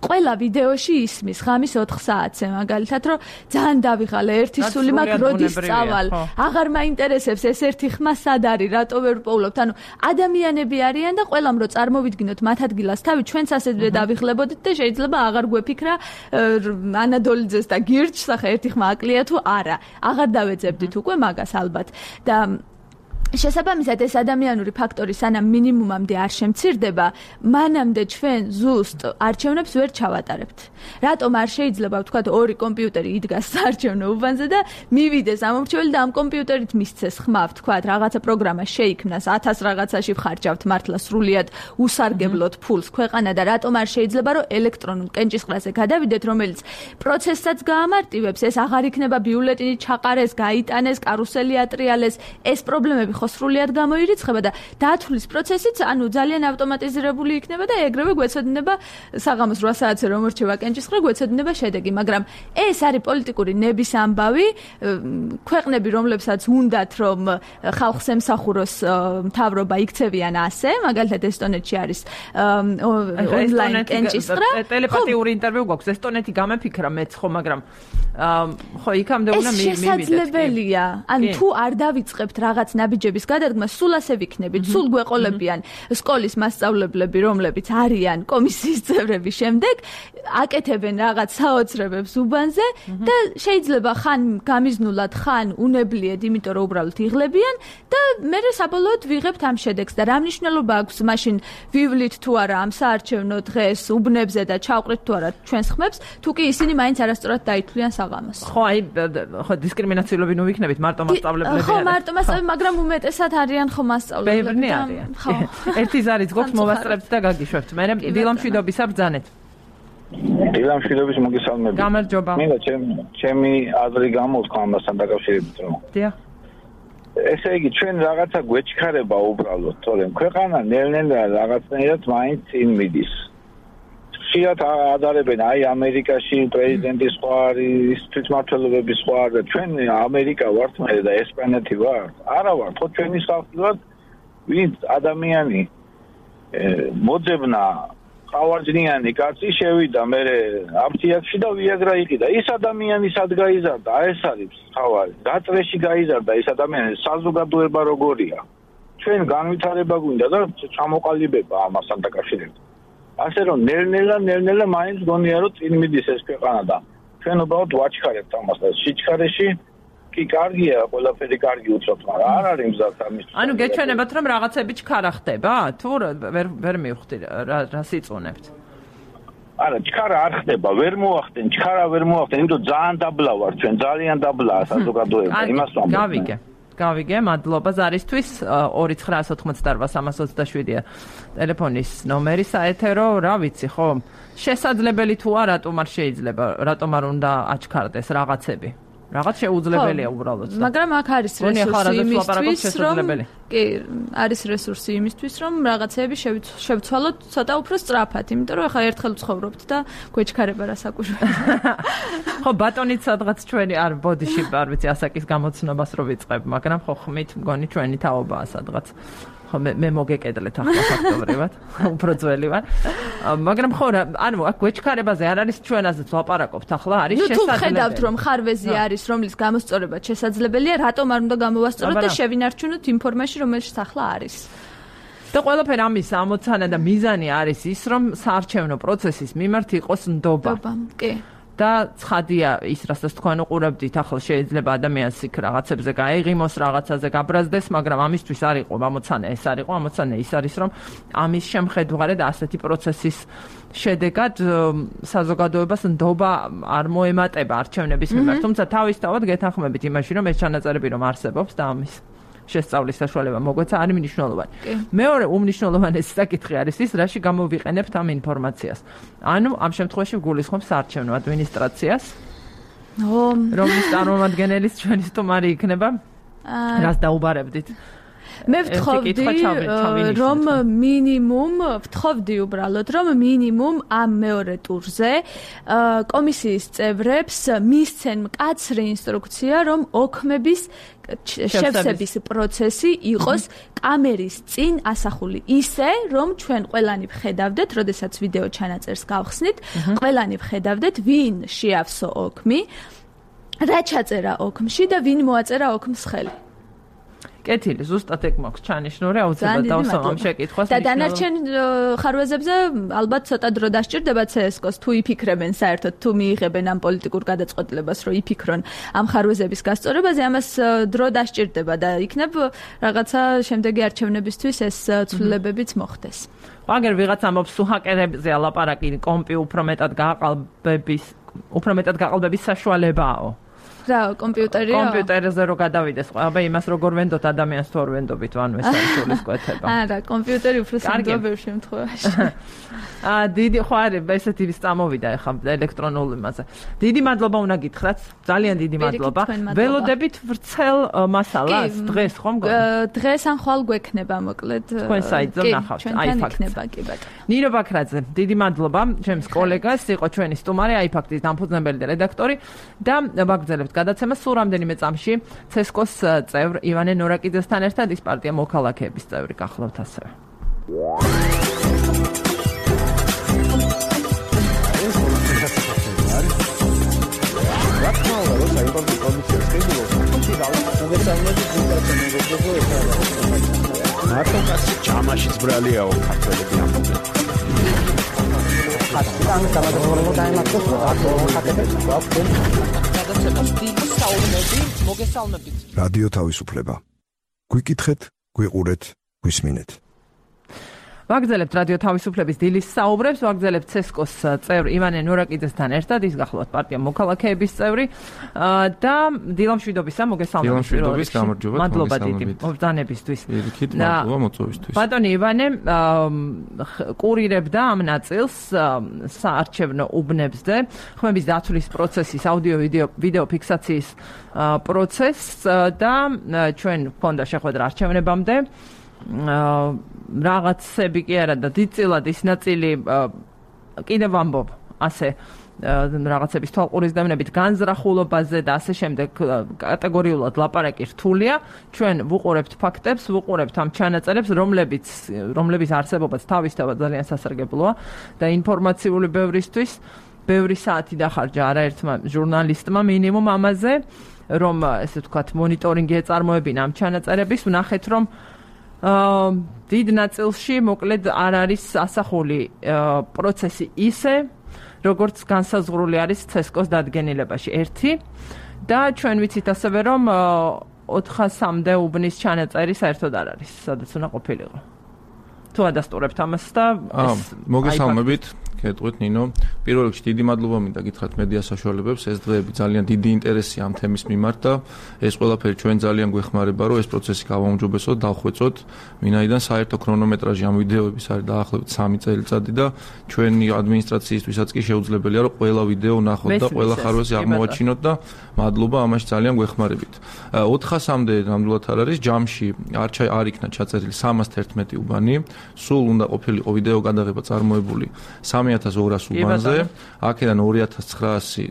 ყველა ვიდეოში ისმის ხამის ოთხ საათზე მაგალითად, რომ ძალიან დავიღალე ერთი სული მაგ როდის წავალ, აღარ მაინტერესებს ეს ერთი ხმა სად არის, რატო ვერ ვპოულობთ. ანუ ადამიანები არიან და ყველამ რო წარმოვიდგინოთ მათ ადგილას თავი, ჩვენც ასეთვე დავიღლებოდით და შეიძლება აღარ აღარ გვეფიქრა ანადოლიძეს და გირჩს ახლა ერთი ხმა აკლია თუ არა. აღარ დავეძებდით უკვე მაგას ალბათ. და შესაბამისად ეს ადამიანური ფაქტორი სანამ მინიმუმამდე არ შემცირდება, მანამდე ჩვენ ზუსტ არჩევნებს ვერ ჩავატარებთ. რატომ არ შეიძლება ვთქვათ ორი კომპიუტერი იდგას საარჩევნო უბანზე და მივიდეს ამორჩეველი და ამ კომპიუტერით მისცეს ხმა, ვთქვათ, რაღაცა პროგრამა შეიქმნას, ათას რაღაცაში ვხარჯავთ მართლა სრულიად უსარგებლოდ ფულს ქვეყანა და რატომ არ შეიძლება რომ ელექტრონულ კენჭისყრაზე გადავიდეთ, რომელიც პროცესსაც გაამარტივებს, ეს აღარ იქნება ბიულეტინი ჩაყარეს, გაიტანეს, კარუსელი ატრიალეს, ეს პრობლემები ხო სრულიად გამოირიცხება და დათვლის პროცესიც ანუ ძალიან ავტომატიზირებული იქნება და ეგრევე გვეცოდინება საღამოს რვა საათზე რომ მორჩება კენჭისყრა გვეცოდინება შედეგი, მაგრამ ეს არის პოლიტიკური ნების ამბავი, ქვეყნები რომლებსაც უნდათ რომ ხალხს ემსახუროს მთავრობა იქცევიან ასე, მაგალითად ესტონეთში არის ონლაინ კენჭისყრა. ტელეპათიური ინტერვიუ გვაქვს, ესტონეთი გამეფიქრა მეც ხო, მაგრამ ხო იქამდე უნდა მივიდეთ. შესაძლებელია, ან თუ არ დავიწყებთ რაღაც ნაბიჯები კოლეჯების გადადგმა სულ ასე ვიქნებით, სულ გვეყოლებიან სკოლის მასწავლებლები, რომლებიც არიან კომისიის წევრები შემდეგ, აკეთებენ რაღაც საოცრებებს უბანზე და შეიძლება ხან გამიზნულად, ხან უნებლიეთ, იმიტომ რომ უბრალოდ იღლებიან და მე საბოლოოდ ვიღებთ ამ შედეგს და რა მნიშვნელობა აქვს მაშინ ვივლით თუ არა ამ საარჩევნო დღეს უბნებზე და ჩავყრით თუ არა ჩვენს ხმებს, თუ კი ისინი მაინც არასწორად დაითვლიან საღამოს. ხო, აი, ხო დისკრიმინაციულები ნუ ვიქნებით მარტო მასწავლებლები. ხო, მარტო მასწავლებლები, მაგრამ უმეტესად არიან ხო მასწავლებლები. ბევრნი არიან. ხო. ერთი ზარიც გვაქვს მოვასწრებთ და გაგიშვებთ. მე დილამშვიდობისა ბრძანეთ. დილამშვიდობის მოგესალმებით. გამარჯობა. მე და ჩემი აზრი გამოვთქვა ამასთან დაკავშირებით რომ. დიახ. ესე იგი ჩვენ რაღაცა გვეჩქარება უბრალოდ, თორემ ქვეყანა ნელ-ნელა რაღაცნაირად მაინც წინ მიდის. ხშირად ადარებენ აი ამერიკაში პრეზიდენტის სხვა არის, თვითმმართველობების სხვა არის და ჩვენ ამერიკა ვართ მე და ესპანეთი ვართ. არა ვართ, ხო ჩვენი ხალხი ვართ, ვინც ადამიანი მოძებნა ყავარჯნიანი კაცი შევიდა მე აფთიაქში და ვიაგრა იყიდა. ის ადამიანი სად გაიზარდა? ეს არის თავარი. გაწრეში გაიზარდა ის ადამიანი, საზოგადოება როგორია? ჩვენ განვითარება გვინდა და ჩამოყალიბება ამასთან დაკავშირებით. ასე რომ ნელ-ნელა ნელ-ნელა მაინც გონია რომ წინ მიდის ეს ქვეყანა და ჩვენ უბრალოდ ვაჩქარებთ ამას და სიჩქარეში კი კარგია, ყველაფერი კარგი უცნობთ, მაგრამ არ არის მზად ამის. ანუ გეჩვენებათ რომ რაღაცები ჩქარა ხდება? თუ ვერ ვერ მივხვდი რა რა სიწუნებთ? არა, ჩქარა არ ხდება, ვერ მოახდენ, ჩქარა ვერ მოახდენ, იმიტომ ძალიან დაბლა ვარ ჩვენ, ძალიან დაბლაა საზოგადოება, იმას ვამბობ. გავიგე. გავიგე, მადლობა ზარისთვის. ორი ცხრა ოთხმოცდაოთხ სამას ოცდაშვიდია ტელეფონის ნომერი საეთერო, რა ვიცი, ხო? შესაძლებელი თუ არა, რატომ არ შეიძლება, რატომ არ უნდა აჩქარდეს რაღაცები? რაღაც შეუძლებელია უბრალოდ. მაგრამ აქ არის რესურსი იმისთვის, რომ კი, არის რესურსი იმისთვის, რომ რაღაცეები შევცვალოთ ცოტა უფრო სწრაფად, იმიტომ რომ ახლა ერთხელ ვცხოვრობთ და გვეჩქარება რა საკუთრება. ხო, ბატონით სადღაც ჩვენი არ ბოდიში, არ ვიცი, ასაკის გამოცნობას რო ვიწყებ, მაგრამ ხო ხმით მგონი ჩვენი თაობაა სადღაც. ხო მე მე მოგეკედლეთ ახლა ფაქტობრივად, უფრო ძველი ვარ. მაგრამ ხო რა, ანუ აქ გვეჩქარებაზე არ არის ჩვენაზეც ვლაპარაკობთ, ახლა არის შესაძლებელი. ნუ თუ ხედავთ რომ ხარვეზი არის, რომლის გამოსწორება შესაძლებელია, რატომ არ უნდა გამოვასწოროთ და შევინარჩუნოთ იმ ფორმაში, რომელშიც ახლა არის. და ყველაფერი ამის ამოცანა და მიზანი არის ის, რომ საარჩევნო პროცესის მიმართ იყოს ნდობა. ნდობა, კი. და ცხადია ის, რასაც თქვენ უყურებდით, ახლა შეიძლება ადამიანს იქ რაღაცებზე გაეღიმოს, რაღაცაზე გაბრაზდეს, მაგრამ ამისთვის არ იყო ამოცანა, ეს არ იყო ამოცანა, ის არის, რომ ამის შემხედვარედ ასეთი პროცესის შედეგად საზოგადოებას ნდობა არ მოემატება არჩევნების მიმართ. თუმცა თავისთავად გეთანხმებით იმაში, რომ ეს ჩანაწერები რომ არსებობს და ამის შესწავლის საშუალება მოგვეცა არის მნიშვნელოვანი. მეორე უმნიშვნელოვანესი საკითხი არის ის, რაში გამოვიყენებთ ამ ინფორმაციას. ანუ ამ შემთხვევაში გულისხმობს საარჩევნო ადმინისტრაციას, რომლის წარმომადგენელის ჩვენი სტუმარი იქნება. რას დაუბარებდით? მე ვთხოვდი რომ მინიმუმ ვთხოვდი უბრალოდ რომ მინიმუმ ამ მეორე ტურზე კომისიის წევრებს მისცენ მკაცრი ინსტრუქცია რომ ოქმების შევსების პროცესი იყოს კამერის წინ ასახული ისე რომ ჩვენ ყველანი ვხედავდეთ, როდესაც ვიდეო ჩანაწერს გავხსნით, ყველანი ვხედავდეთ ვინ შეავსო ოქმი, რა ჩაწერა ოქმში და ვინ მოაწერა ოქმს ხელი. კეთილი, ზუსტად ეგ მაქვს ჩანიშნული, აუცილებლად დავსვამ ამ შეკითხვას. და დანარჩენ ხარვეზებზე ალბათ ცოტა დრო დასჭირდება ცე ეს კოს თუ იფიქრებენ საერთოდ თუ მიიღებენ ამ პოლიტიკურ გადაწყვეტილებას, რომ იფიქრონ ამ ხარვეზების გასწორებაზე, ამას დრო დასჭირდება და იქნებ რაღაცა შემდეგი არჩევნებისთვის ეს ცვლილებებიც მოხდეს. აგერ ვიღაც ამბობს თუ ჰაკერებზე ალაპარაკი კომპი უფრო მეტად გააყალბების, უფრო მეტად გააყალბების საშუალებაა. რა კომპიუტერია? კომპიუტერზე რო გადავიდეს, აბა იმას როგორ ვენდოთ ადამიანს თუ არ ვენდობით, ანუ ეს არის სულისკვეთება. არა, კომპიუტერი უფრო სანდოა ბევრ შემთხვევაში. აა დიდი ხო არის, ესეთი ვის წამოვიდა ახლა ელექტრონულ იმაზე. დიდი მადლობა უნდა გითხრათ, ძალიან დიდი მადლობა. ველოდებით ვრცელ მასალას დღეს ხომ? დღეს ან ხვალ გვექნება მოკლედ. თქვენ საიტზე ნახავთ, აი ფაქტია, კი ბატონო. ნინო ბაქრაძე, დიდი მადლობა ჩემს კოლეგას, იყო ჩვენი სტუმარი, აი ფაქტის დამფუძნებელი და რედაქტორი და ვაგრძელებთ გადაცემა სულ რამდენიმე წამში ცესკოს წევრ ივანე ნორაკიძესთან ერთად ის პარტია მოქალაქეების წევრი გახლავთ ასევე. რა თქმა უნდა, როცა იმპორტი კომისია შეგვიძლია, თუმცა გავაკეთოთ მოგეცანები გულწრფელი მეგობრებო, მაშინ ბრალიაო ქართველები ამბობენ. ხატიდან გამოდროულობა დაემართოს ხატებს გვაქვს. გადაცემას დიდი საუბნები მოგესალმებით. რადიო თავისუფლება. გვიკითხეთ, გვიყურეთ, გვისმინეთ. ვაგრძელებთ რადიო თავისუფლების დილის საუბრებს, ვაგრძელებთ ცესკოს წევრი ივანე ნურაკიძესთან ერთად, ის გახლავთ პარტია მოქალაქეების წევრი და დილა მშვიდობისა, მოგესალმებით. დილა მშვიდობის, გამარჯობა, მადლობა დიდი მობრძანებისთვის. პირიქით, მადლობა მოწვევისთვის. ბატონი ივანე კურირებდა ამ ნაწილს საარჩევნო უბნებზე, ხმების დათვლის პროცესის, აუდიო ვიდეო ფიქსაციის პროცესს და ჩვენ გქონდა შეხვედრა არჩევნებამდე. რაღაცები კი არა და დიდწილად ის ნაწილი კიდევ ვამბობ ასე რაღაცების თვალყურისდამნებით განზრახულობაზე და ასე შემდეგ კატეგორიულად ლაპარაკი რთულია. ჩვენ ვუყურებთ ფაქტებს, ვუყურებთ ამ ჩანაწერებს, რომლებიც რომლების არსებობაც თავისთავად ძალიან სასარგებლოა და ინფორმაციული ბევრისთვის ბევრი საათი დახარჯა არაერთმა ჟურნალისტმა მინიმუმ ამაზე, რომ ესე ვთქვათ მონიტორინგი ეწარმოებინა ამ ჩანაწერების. ვნახეთ, რომ დიდ ნაწილში მოკლედ არ არის ასახული პროცესი ისე, როგორც განსაზღვრული არის ცესკოს დადგენილებაში. ერთი და ჩვენ ვიცით ასევე, რომ ოთხასამდე უბნის ჩანაწერი საერთოდ არ არის, სადაც უნდა ყოფილიყო. თუ ადასტურებთ ამას და ეს მოგესალმებით. გეტყვით ნინო, პირველ რიგში დიდი მადლობა მინდა გითხრათ მედია საშუალებებს, ეს დღეები ძალიან დიდი ინტერესია ამ თემის მიმართ და ეს ყველაფერი ჩვენ ძალიან გვეხმარება, რომ ეს პროცესი გავაუმჯობესოთ, დავხვეწოთ. მინაიდან საერთო ქრონომეტრაჟი ამ ვიდეოების არის დაახლოებით სამი წელიწადი და ჩვენი ადმინისტრაციისთვისაც კი შეუძლებელია, რომ ყველა ვიდეო ნახოთ და ყველა ხარვეზი აღმოვაჩინოთ და მადლობა ამაში ძალიან გვეხმარებით. ოთხასამდე ნამდვილად არ არის, ჯამში არ იქნა ჩაწერილი სამას თერთმეტი უბანი, სულ უნდა ყოფილიყო ვიდეო გადაღება წარმოებული სამი ათას ორას უბანზე, აქედან ორი ათას ცხრაასი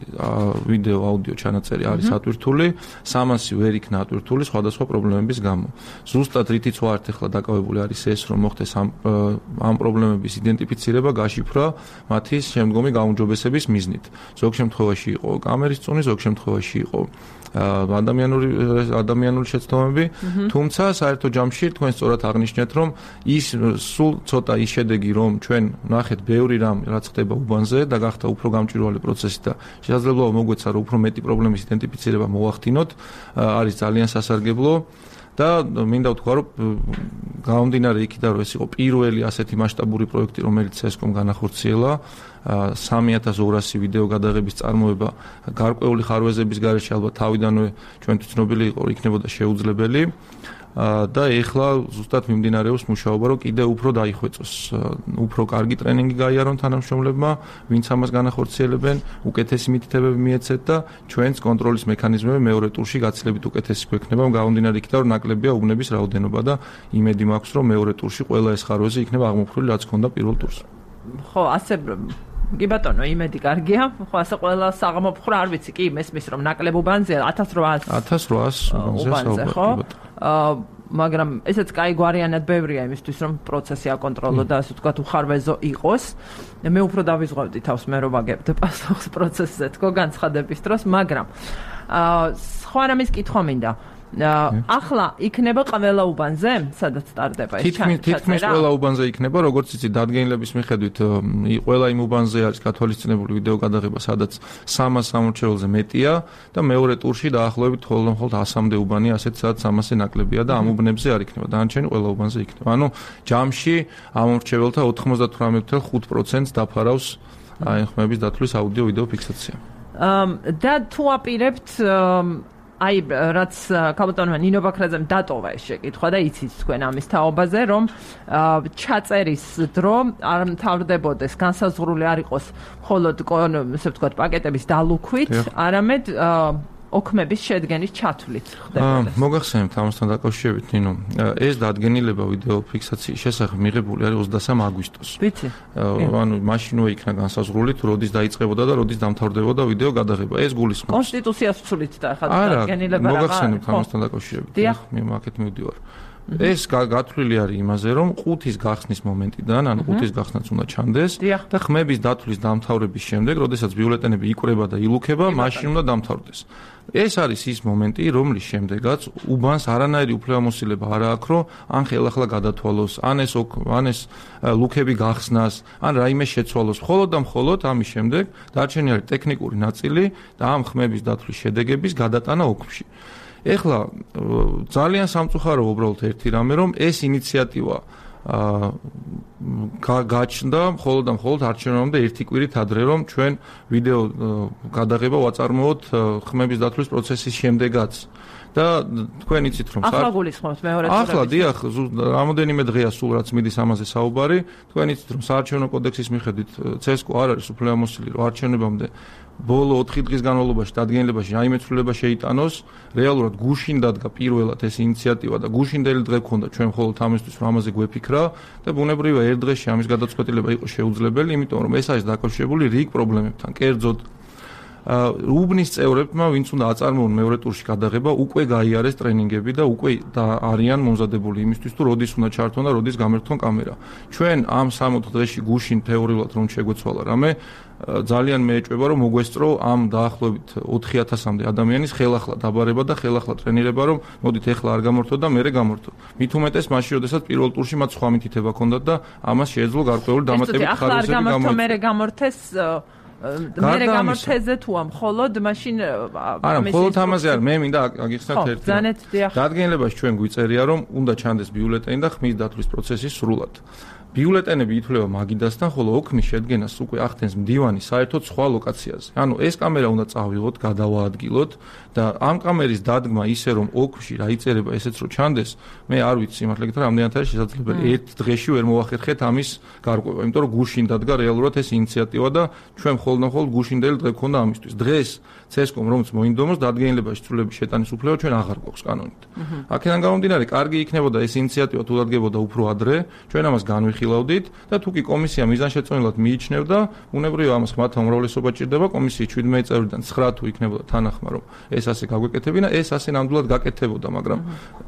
ვიდეო აუდიო ჩანაწერი არის ატვირთული, სამასი ვერ იქნა ატვირთული სხვადასხვა პრობლემების გამო. ზუსტად რითიც ვართ ახლა დაკავებული არის ეს, რომ მოხდეს ამ ამ პრობლემების იდენტიფიცირება, გაშიფრვა, მათი შემდგომი გაუმჯობესების მიზნით. ზოგ შემთხვევაში იყო კამერის წუნი, ზოგ შემთხვევაში იყო ადამიანური ადამიანური შეცდომები, თუმცა საერთო ჯამში თქვენ სწორად აღნიშნეთ, რომ ის სულ ცოტა ის შედეგი, რომ ჩვენ ნახეთ ბევრი რამ რაც ხდება უბანზე და გახდა უფრო გამჭვირვალე პროცესი და შესაძლებლობა მოგვეცა, რომ უფრო მეტი პრობლემის იდენტიფიცირება მოვახდინოთ, არის ძალიან სასარგებლო. და მინდა ვთქვა, რომ გამომდინარე იქიდან, რომ ეს იყო პირველი ასეთი მასშტაბური პროექტი, რომელიც ცესკომ განახორციელა, სამი ათას ორასი ვიდეო გადაღების წარმოება გარკვეული ხარვეზების გარეშე ალბათ თავიდანვე ჩვენთვის ცნობილი იყო, იქნებოდა შეუძლებელი. და ეხლა ზუსტად მიმდინარეობს მუშაობა, რომ კიდე უფრო დაიხვეწოს, უფრო კარგი ტრენინგი გაიარონ თანამშრომლებმა, ვინც ამას განახორციელებენ, უკეთესი მითითებები მიეცეთ და ჩვენს კონტროლის მექანიზმები მეორე ტურში გაცილებით უკეთესი გვექნება, გამომდინარე იქიდან, რომ ნაკლებია უბნების რაოდენობა და იმედი მაქვს, რომ მეორე ტურში ყველა ეს ხარვეზი იქნება აღმოფხვრილი, რაც ჰქონდა პირველ ტურს. ხო, ასე კი ბატონო, იმედი კარგია. ხო, ასე ყველა საღამოფხვრა არ ვიცი, კი მესმის რომ ნაკლებ უბანზეა ათას რვაას ათას რვაას უბანზე ხო? მაგრამ ესეც კაი გვარიანად ბევრია იმისთვის, რომ პროცესი აკონტროლო და ასე ვთქვათ უხარვეზო იყოს. მე უფრო დავიზღვევდი თავს მე რომ ვაგებდე პასუხს პროცესზე თქო განცხადების დროს, მაგრამ სხვა რამის კითხვა მინდა. ახლა იქნება ყველა უბანზე, სადაც სტარდება ეს ჩანაწერი? თითქმის ყველა უბანზე იქნება, როგორც იცით, დადგენილების მიხედვით, ყველა იმ უბანზე არის გათვალისწინებული ვიდეო გადაღება, სადაც სამას სამორჩეველზე მეტია და მეორე ტურში დაახლოებით მხოლოდ ასამდე უბანი, ასეთ სადაც სამასზე ნაკლებია და ამ უბნებზე არ იქნება. დანარჩენი ყველა უბანზე იქნება. ანუ ჯამში ამორჩეველთა ოთხმოცდათვრამეტ ფاصლე ხუთ პროცენტს დაფარავს აი ხმების დათვლის აუდიო ვიდეო ფიქსაცია. და თუ აპირებთ აი რაც კაპიტანმა ნინო ბაქრაძემ დატოვა ეს შეკითხვა და იცით თქვენ ამის თაობაზე, რომ ჩაწერის დრო არ მთავრდებოდეს, განსაზღვრული არ იყოს მხოლოდ ესე ვთქვათ პაკეტების დალუქვით, არამედ ოქმების შედგენის ჩათვლით ხდებოდა. მოგახსენებთ ამასთან დაკავშირებით, ნინო, ეს დადგენილება ვიდეო ფიქსაციის შესახებ მიღებული არის ოცდასამ აგვისტოს. ვიცი. ანუ მაშინვე იქნა განსაზღვრული, თუ როდის დაიწყებოდა და როდის დამთავრდებოდა ვიდეო გადაღება. ეს გულისხმობს კონსტიტუციას ვცვლით და ახლა დადგენილება რა. მოგახსენებთ ამასთან დაკავშირებით. მე აქეთ მივდივარ. ეს გათვლილი არის იმაზე, რომ ყუთის გახსნის მომენტიდან, ანუ ყუთის გახსნაც უნდა ჩანდეს და ხმების დათვლის დამთავრების შემდეგ, როდესაც ბიულეტენები იკვრება და ილუქება, მაშინ უნდა დამთავრდეს. ეს არის ის მომენტი, რომლის შემდეგაც უბანს არანაირი უფლებამოსილება არ აქვს, რომ ან ხელახლა გადათვალოს, ან ეს ან ეს ლუქები გახსნას, ან რაიმე შეცვალოს. მხოლოდ და მხოლოდ ამის შემდეგ დარჩენილი არის ტექნიკური ნაწილი და ამ ხმების დათვლის შედეგების გადატანა ოქში. ეხლა ძალიან სამწუხარო უბრალოდ ერთი რამე, რომ ეს ინიციატივა გაჩნდა მხოლოდ და მხოლოდ არჩევნებამდე ერთი კვირით ადრე, რომ ჩვენ ვიდეო გადაღება ვაწარმოოთ ხმების დათვლის პროცესის შემდეგაც. და თქვენ იცით რომ ახლა გულისხმობთ მეორე ტურების. ახლა დიახ, რამოდენიმე დღეა სულ რაც მიდის ამაზე საუბარი, თქვენ იცით რომ საარჩევნო კოდექსის მიხედვით ცესკო არ არის უფლებამოსილი, რომ არჩევნებამდე ბოლო ოთხი დღის განმავლობაში დადგენილებაში რაიმე ცვლილება შეიტანოს, რეალურად გუშინ დადგა პირველად ეს ინიციატივა და გუშინდელი დღე გქონდა ჩვენ მხოლოდ ამისთვის რომ ამაზე გვეფიქრა და ბუნებრივია ერთ დღეში ამის გადაწყვეტილება იყო შეუძლებელი, იმიტომ რომ ეს არის დაკავშირებული რიგ პრობლემებთან. კერძოდ უბნის წევრებმა, ვინც უნდა აწარმოონ მეორე ტურში გადაღება, უკვე გაიარეს ტრენინგები და უკვე არიან მომზადებული იმისთვის, თუ როდის უნდა ჩართონ და როდის გამერთონ კამერა. ჩვენ ამ სამოთხ დღეში გუშინ თეორიულად რომ შეგვეცვალა რამე, ძალიან მეეჭვება რომ მოგვესწრო ამ დაახლოებით ოთხი ათასამდე ადამიანის ხელახლა დაბარება და ხელახლა ტრენირება, რომ მოდით ეხლა არ გამორთოთ და მერე გამორთოთ. მით უმეტეს მაშინ, როდესაც პირველ ტურში მათ სხვა მითითება ჰქონდათ და ამას შეეძლო გარკვეული დამატებით ხარისხები გამორთო. ახლა არ გამორთო, მერე გამორთეს მერე გამორთეზე თუ ამ მხოლოდ მაშინ არა მხოლოდ ამაზე არ მე მინდა აგიხსნათ ერთი დადგენილებაში ჩვენ გვიწერია რომ უნდა ჩანდეს ბიულეტენი და ხმის დათვლის პროცესი სრულად ბიულეტენები ითვლება მაგიდასთან, ხოლო ოქმის შედგენას უკვე ახდენს მდივანი საერთოდ სხვა ლოკაციაზე. ანუ ეს კამერა უნდა წავიღოთ, გადავაადგილოთ და ამ კამერის დადგმა ისე რომ ოქმში რა იწერება ესეც რომ ჩანდეს, მე არ ვიცი სიმართლე გითხრა, რამდენად არის შესაძლებელი. ერთ დღეში ვერ მოვახერხეთ ამის გარკვევა, იმიტომ რომ გუშინ დადგა რეალურად ეს ინიციატივა და ჩვენ მხოლოდ და მხოლოდ გუშინდელი დღე გქონდა ამისთვის. დღეს ცესკომ რომც მოინდომოს დადგენილებაში ცვლილების შეტანის უფლება ჩვენ აღარ გვაქვს კანონით. აქედან გამომდინარე, კარგი იქნებოდა ეს ინიციატივა თუ დადგებოდა უფრო ადრე, ჩვენ ამას განვიხილავდით და თუ კი კომისია მიზანშეწონილად მიიჩნევდა, უნებრივია ამას ხმათა უმრავლესობა ჭირდება, კომისიის შვიდმეტი წევრიდან ცხრა თუ იქნებოდა თანახმა, რომ ეს ასე გაგვეკეთებინა, ეს ასე ნამდვილად გაკეთებოდა, მაგრამ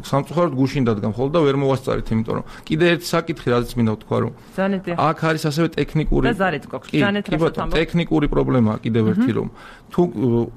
სამწუხაროდ გუშინ დადგა მხოლოდ და ვერ მოვასწარით, იმიტომ რომ კიდე ერთი საკითხი, რაც მინდა ვთქვა, რომ აქ არის ასევე ტექნიკური და ზარეთ გვაქვს, ზანეთ რასთან ტექნიკური პრობლემაა კიდევ ერთი, რომ თუ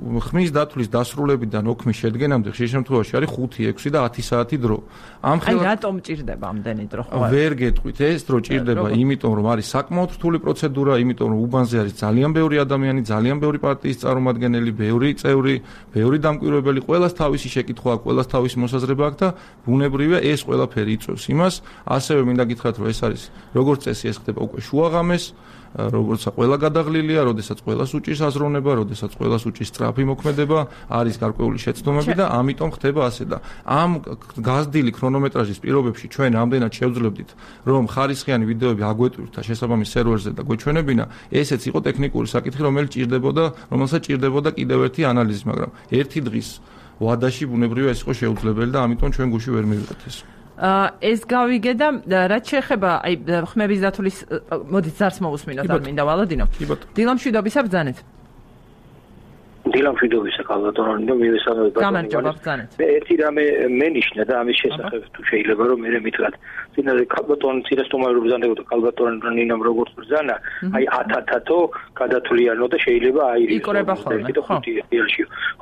ხმის დათვლის დასრულებიდან ოქმის შედგენამდე ხშირ შემთხვევაში არის ხუთი, ექვსი და ათი საათი დრო. ამ ხელა აი რატომ ჭირდება ამდენი დრო ხო? ვერ გეტყვით, ეს დრო ჭირდება, იმიტომ რომ არის საკმაოდ რთული პროცედურა, იმიტომ რომ უბანზე არის ძალიან ბევრი ადამიანი, ძალიან ბევრი პარტიის წარმომადგენელი, ბევრი წევრი, ბევრი დამკვირვებელი, ყველას თავისი შეკითხვა აქვს, ყველას თავისი მოსაზრება აქვს და ბუნებრივია ეს ყველაფერი იწვევს იმას, ასევე მინდა გითხრათ, რომ ეს არის როგორც წესი ეს ხდება უკვე შუაღამეს, როგორც ყველა გადაღლილია, როდესაც ყველას უჭირს აზროვნება, როდესაც ყველას უჭირს სწრაფი მოქმედება, არის გარკვეული შეცდომები და ამიტომ ხდება ასე და ამ გაზრდილი ქრონომეტრაჟის პირობებში ჩვენ ამდენად შევძლებდით, რომ ხარისხიანი ვიდეოები აგვეტვირთ და შესაბამის სერვერზე და გვეჩვენებინა, ესეც იყო ტექნიკური საკითხი, რომელიც ჭირდებოდა, რომელსაც ჭირდებოდა კიდევ ერთი ანალიზი, მაგრამ ერთი დღის ვადაში ბუნებრივია ეს იყო შეუძლებელი და ამიტომ ჩვენ გუში ვერ მივიღეთ ეს. ეს გავიგე და რაც შეეხება აი ხმების დათვლის მოდით ზარს მოусმინოთ არ მინდა ვალოდინო. დილამშვიდობისა ბრძანეთ. დილამშვიდობისა კალბატონი და მივესალმებ ბატონი. მე ერთი რამე მენიშნა და ამის შესახებ თუ შეიძლება რომ მე მითხრათ. წინაზე კალბატონი ცირესტომარი ბრძანდებოდა კალბატონი ნინამ როგორც ბრძანა, აი ათათათო გადათვლიანო და შეიძლება აირიოს. იკრება ხოლმე.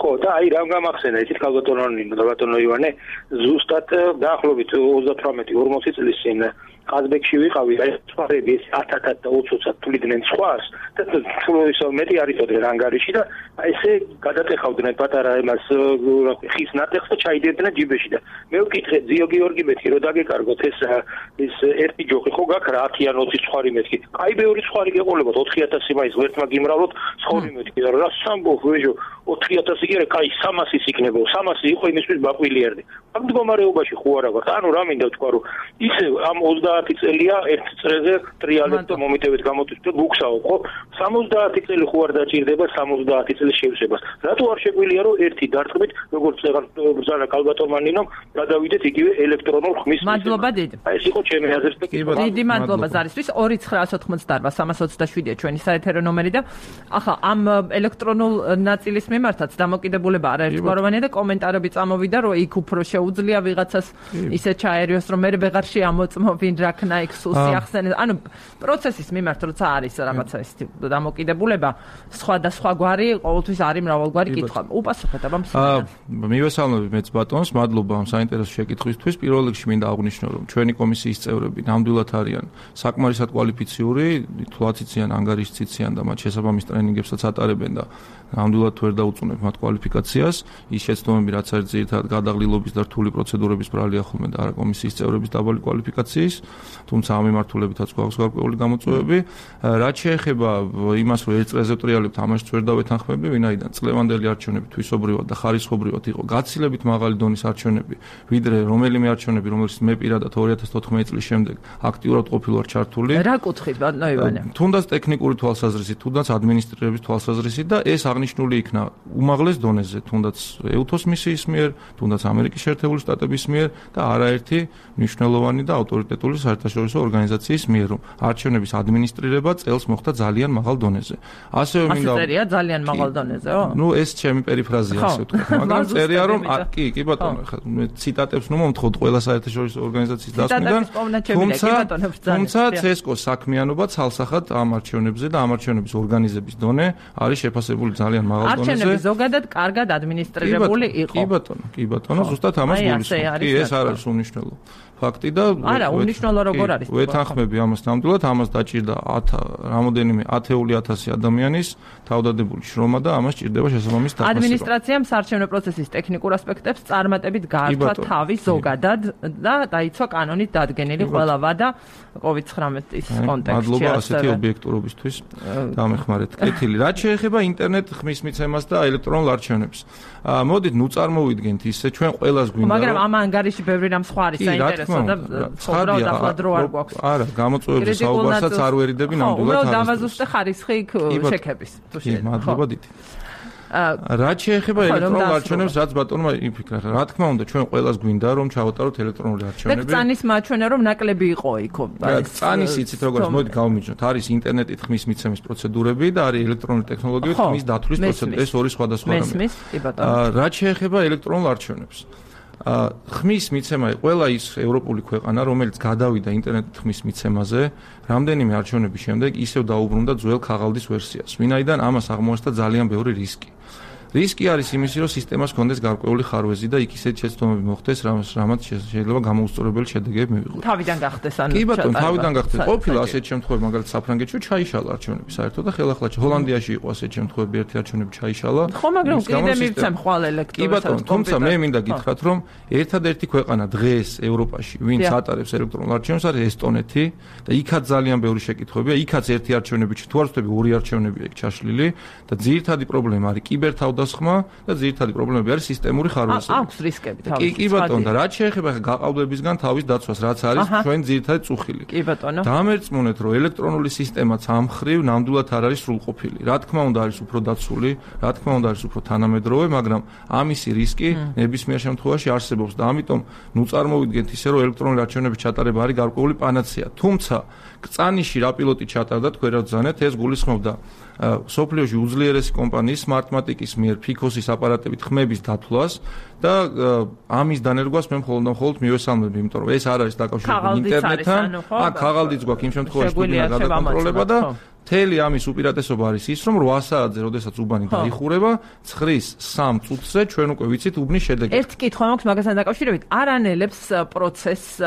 ხო და აი რამ გამახსენა ისეთ კალბატონი და ბატონო ივანე ზუსტად დაახლოებით ოცდათვრამეტი ორმოცი წლის წინ ყაზბეგში ვიყავი, აი სხვაები ათათათ და ოცდაათ თვლიდნენ სხვას და თულოისო მეტი არიწოდნენ ანგარიში და ესე გადატეხავდნენ პატარა იმას ხის ნატეხს და ჩაიდერდნენ ჯიბეში და მე ვკითხე ძიო გიორგი მეთქი რომ დაგეკარგოთ ეს ის ერთი ჯოხი ხო გაქვს რა ათი ან ოცი სხვარი მეთქი. აი ბევრი სხვარი გეყოლებათ ოთხი ათასი მაინც ღერთმა გიმრავლოთ სხვარი მეთქი და რა სამბო ვეჟო ოთხი ათასი კი არა, კაი სამასის იქნება. სამასი იყო იმისთვის ბაყვილი ერდი. ამ მდგომარეობაში ხო არა ვარ. ანუ რა მინდა ვთქვა რომ ისე ამ ოცდაათი სამოცდაათი წელია ერთ წრეზე ტრიალებ და მომიტევით გამოდის და გუგსაობ, ხო? სამოცდაათი წელი ხო არ დაჭირდება სამოცდაათი წელი შევსებას. რატო არ შეგვიძლია რომ ერთი დარტყმით, როგორც ბრძანა კალბატონმა ნინომ, გადავიდეთ იგივე ელექტრონულ ხმის. მადლობა დიდი. აი ეს იყო ჩემი აზრით. დიდი მადლობა ზარისთვის. ორი ცხრაას ოთხმოცდაარბა სამას ოცდაშვიდია ჩვენი საეთერო ნომერი და ახლა ამ ელექტრონულ ნაწილის მიმართაც დამოკიდებულება არაერთგვაროვანია და კომენტარები წამოვიდა რომ იქ უფრო შეუძლია ვიღაცას ისე ჩაერიოს რომ მე ვეღარ შეამოწმო ვინ რაქნა იქ სულ სიახსენეს. ანუ პროცესის მიმართ როცა არის რაღაცა ის დამოკიდებულება სხვადასხვა გვარი ყოველთვის არის მრავალგვარი კითხვა. უპასუხეთ აბა მსმენელს. მივესალმები მეც ბატონს, მადლობა ამ საინტერესო შეკითხვისთვის. პირველ რიგში მინდა აღვნიშნო რომ ჩვენი კომისიის წევრები ნამდვილად არიან საკმარისად კვალიფიციური, თვლაც იციან, ანგარიშიც იციან და მათ შესაბამის ტრენინგებსაც ატარებენ და ნამდვილად ვერ დაუწუნებ მათ კვალიფიკაციას. ის შეცდომები რაც არის ძირითადად გადაღლილობის და რთული პროცედურების ბრალია ხოლმე და არა კომისიის წევრების დაბალი კვალიფიკაციის, თუმცა ამ მიმართულებითაც გვაქვს გარკვეული გამოწვევები. რაც შეეხება იმას, რომ ერთ წრეზე ვტრიალებთ, ამაშიც ვერ დავეთანხმები, ვინაიდან წლევანდელი არჩევნები თვისობრივად და ხარისხობრივად იყო გაცილებით მაღალი დონის არჩევნები, ვიდრე რომელიმე არჩევნები, რომელშიც მე პირადად ორი ათას თოთხმეტი წლის შემდეგ აქტიურად ყოფილი ვარ ჩართული. რა კუთხით, ბატონო ივანე? თუნდაც ტექნიკური თვალსაზრისით, თუნდაც ადმინისტრირების თვალსაზრისით და ეს აღნიშნული იქნა უმაღლეს დონეზე, თუნდაც ეუთოს მისიის მიერ, თუნდაც ამერიკის შეერთებული შტატების მიერ და არაერთი მნიშვნელოვანი და ავტორიტეტული საერთაშორისო ორგანიზაციის მიერ, რომ არჩევნების ადმინისტრირება წელს მოხდა ძალიან მაღალ დონეზე. ასევე მინდა წერია ძალიან მაღალ დონეზეო? ნუ ეს ჩემი პერიფრაზია ასე ვთქვათ, მაგრამ წერია რომ კი, კი ბატონო, ხა მე ციტატებს ნუ მომთხოვთ ყველა საერთაშორისო ორგანიზაციის დასმიდან. თუმცა ცესკოს საქმიანობა ცალსახად ამ არჩევნებზე და ამ არჩევნების ორგანიზების დონე არის შეფასებული ძალიან მაღალ დონეზე. არჩევნები ზოგადად კარგად ადმინისტრირებული იყო. კი ბატონო, კი ბატონო, ზუსტად ამას გულისხმობ. კი, ეს არ არის უნიშნელო ფაქტი და არა, უნიშნელო როგორ არის? ვეთანხმები ამას ნამდვილად, ამას დაჭირდა რამოდენიმე ათეული ათასი ადამიანის თავდადებული შრომა და ამას ჭირდება შესაბამის დაფასება. ადმინისტრაციამ საარჩევნო პროცესის ტექნიკურ ასპექტებს წარმატებით გაართვა თავი ზოგადად და დაიცვა კანონით დადგენილი ყველა ვადა კოვიდ ცხრამეტის კონტექსტში. მადლობა ასეთი ობიექტურობისთვის დამეხმარეთ. კეთილი. რაც შეეხება ინტერნეტ ხმის მიცემას და ელექტრონულ არჩევნებს. მოდით ნუ წარმოვიდგენთ ისე ჩვენ ყველას გვინდა მაგრამ ამ ანგარიში ბევრი რამ სხვა არის საინტერესო და ცხოვრობ ახლა დრო არ გვაქვს. არა, გამოწვევების საუბარსაც არ ვერიდები ნამდვილად. უბრალოდ დავაზუსტე ხარისხი იქ შექების. მადლობა დიდი. რაც შეეხება ელექტრონულ არჩევნებს, რაც ბატონმა იფიქრა, რა თქმა უნდა, ჩვენ ყველას გვინდა რომ ჩავატაროთ ელექტრონული არჩევნები. და წანის მაჩვენა რომ ნაკლები იყო იქო. წანის იცით როგორც მოდი გავმიჯნოთ, არის ინტერნეტით ხმის მიცემის პროცედურები და არის ელექტრონული ტექნოლოგიებით ხმის დათვლის პროცედურა. ეს ორი სხვადასხვა რამეა. მესმის, კი ბატონო. რაც შეეხება ელექტრონულ არჩევნებს. ხმის მიცემა ყველა ის ევროპული ქვეყანა, რომელიც გადავიდა ინტერნეტით ხმის მიცემაზე, რამდენიმე არჩევნების შემდეგ ისევ დაუბრუნდა ძველ ქაღალდის ვერსიას. ვინაიდან ამას აღმოაჩნდა ძალიან ბევრი რისკი. რისკი არის იმისი, რომ სისტემას ჰქონდეს გარკვეული ხარვეზი და იქ ისეთ შეცდომები მოხდეს, რამაც შეიძლება გამოუსწორებელი შედეგები მივიღოს. თავიდან გახდეს ანუ. კი ბატონო, თავიდან გახდეს. ყოფილა ასეთ შემთხვევები, მაგალითად საფრანგეთში ჩაიშალა არჩევნები საერთოდ და ხელახლა ჰოლანდიაში იყო ასეთ შემთხვევები, ერთი არჩევნები ჩაიშალა. ხო, მაგრამ კიდე მივცემ ხვალ ელექტრონულ. კი ბატონო, თუმცა მე მინდა გითხრათ, რომ ერთადერთი ქვეყანა დღეს ევროპაში, ვინც ატარებს ელექტრონულ არჩევნებს, არის ესტონეთი და იქაც ძალიან ბევრი შეკითხვებია. იქაც ერთი არჩევნები, თუ არ ვთქვი, ორი არჩევნებია იქ ჩაშლილი და ძირითადი პრობლემა არის კიბერთავდასხმა და ძირითადი პრობლემები არის სისტემური ხარვეზები. აქვს რისკები თავის. კი, კი ბატონო, და რაც შეეხება გაყალბებისგან თავის დაცვას, რაც არის ჩვენ ძირითადი წუხილი. კი ბატონო. დამერწმუნეთ, რომ ელექტრონული სისტემაც ამ ხრივ ნამდვილად არ არის სრულყოფილი. რა თქმა უნდა, არის უფრო დაცული, რა თქმა უნდა, არის უფრო თანამედროვე, მაგრამ ამისი რისკი ნებისმიერ შემთხვევაში არსებობს და ამიტომ ნუ წარმოვიდგენთ ისე, რომ ელექტრონული არჩევნების ჩატარება არის გარკვეული პანაცეა. თუმცა წანიში რა პილოტი ჩატარდა, თქვენ რა ბრძანეთ, ეს გულისხმობდა სოფლიოში უძლიერესი კომპანიის Smartmatic-ის მიერ ფიქოსის აპარატებით ხმების დათვლას და ამის დანერგვას მე მხოლოდ და მხოლოდ მივესალმები, იმიტომ რომ ეს არ არის დაკავშირებული ინტერნეტთან. აქ ქაღალდიც გვაქვს იმ შემთხვევაში, თუ გინდა გადაკონტროლება და მთელი ამის უპირატესობა არის ის, რომ რვა საათზე, როდესაც უბანი დაიხურება, ცხრის სამ წუთზე ჩვენ უკვე ვიცით უბნის შედეგი. ერთი კითხვა მაქვს მაგასთან დაკავშირებით. არ ანელებს პროცესს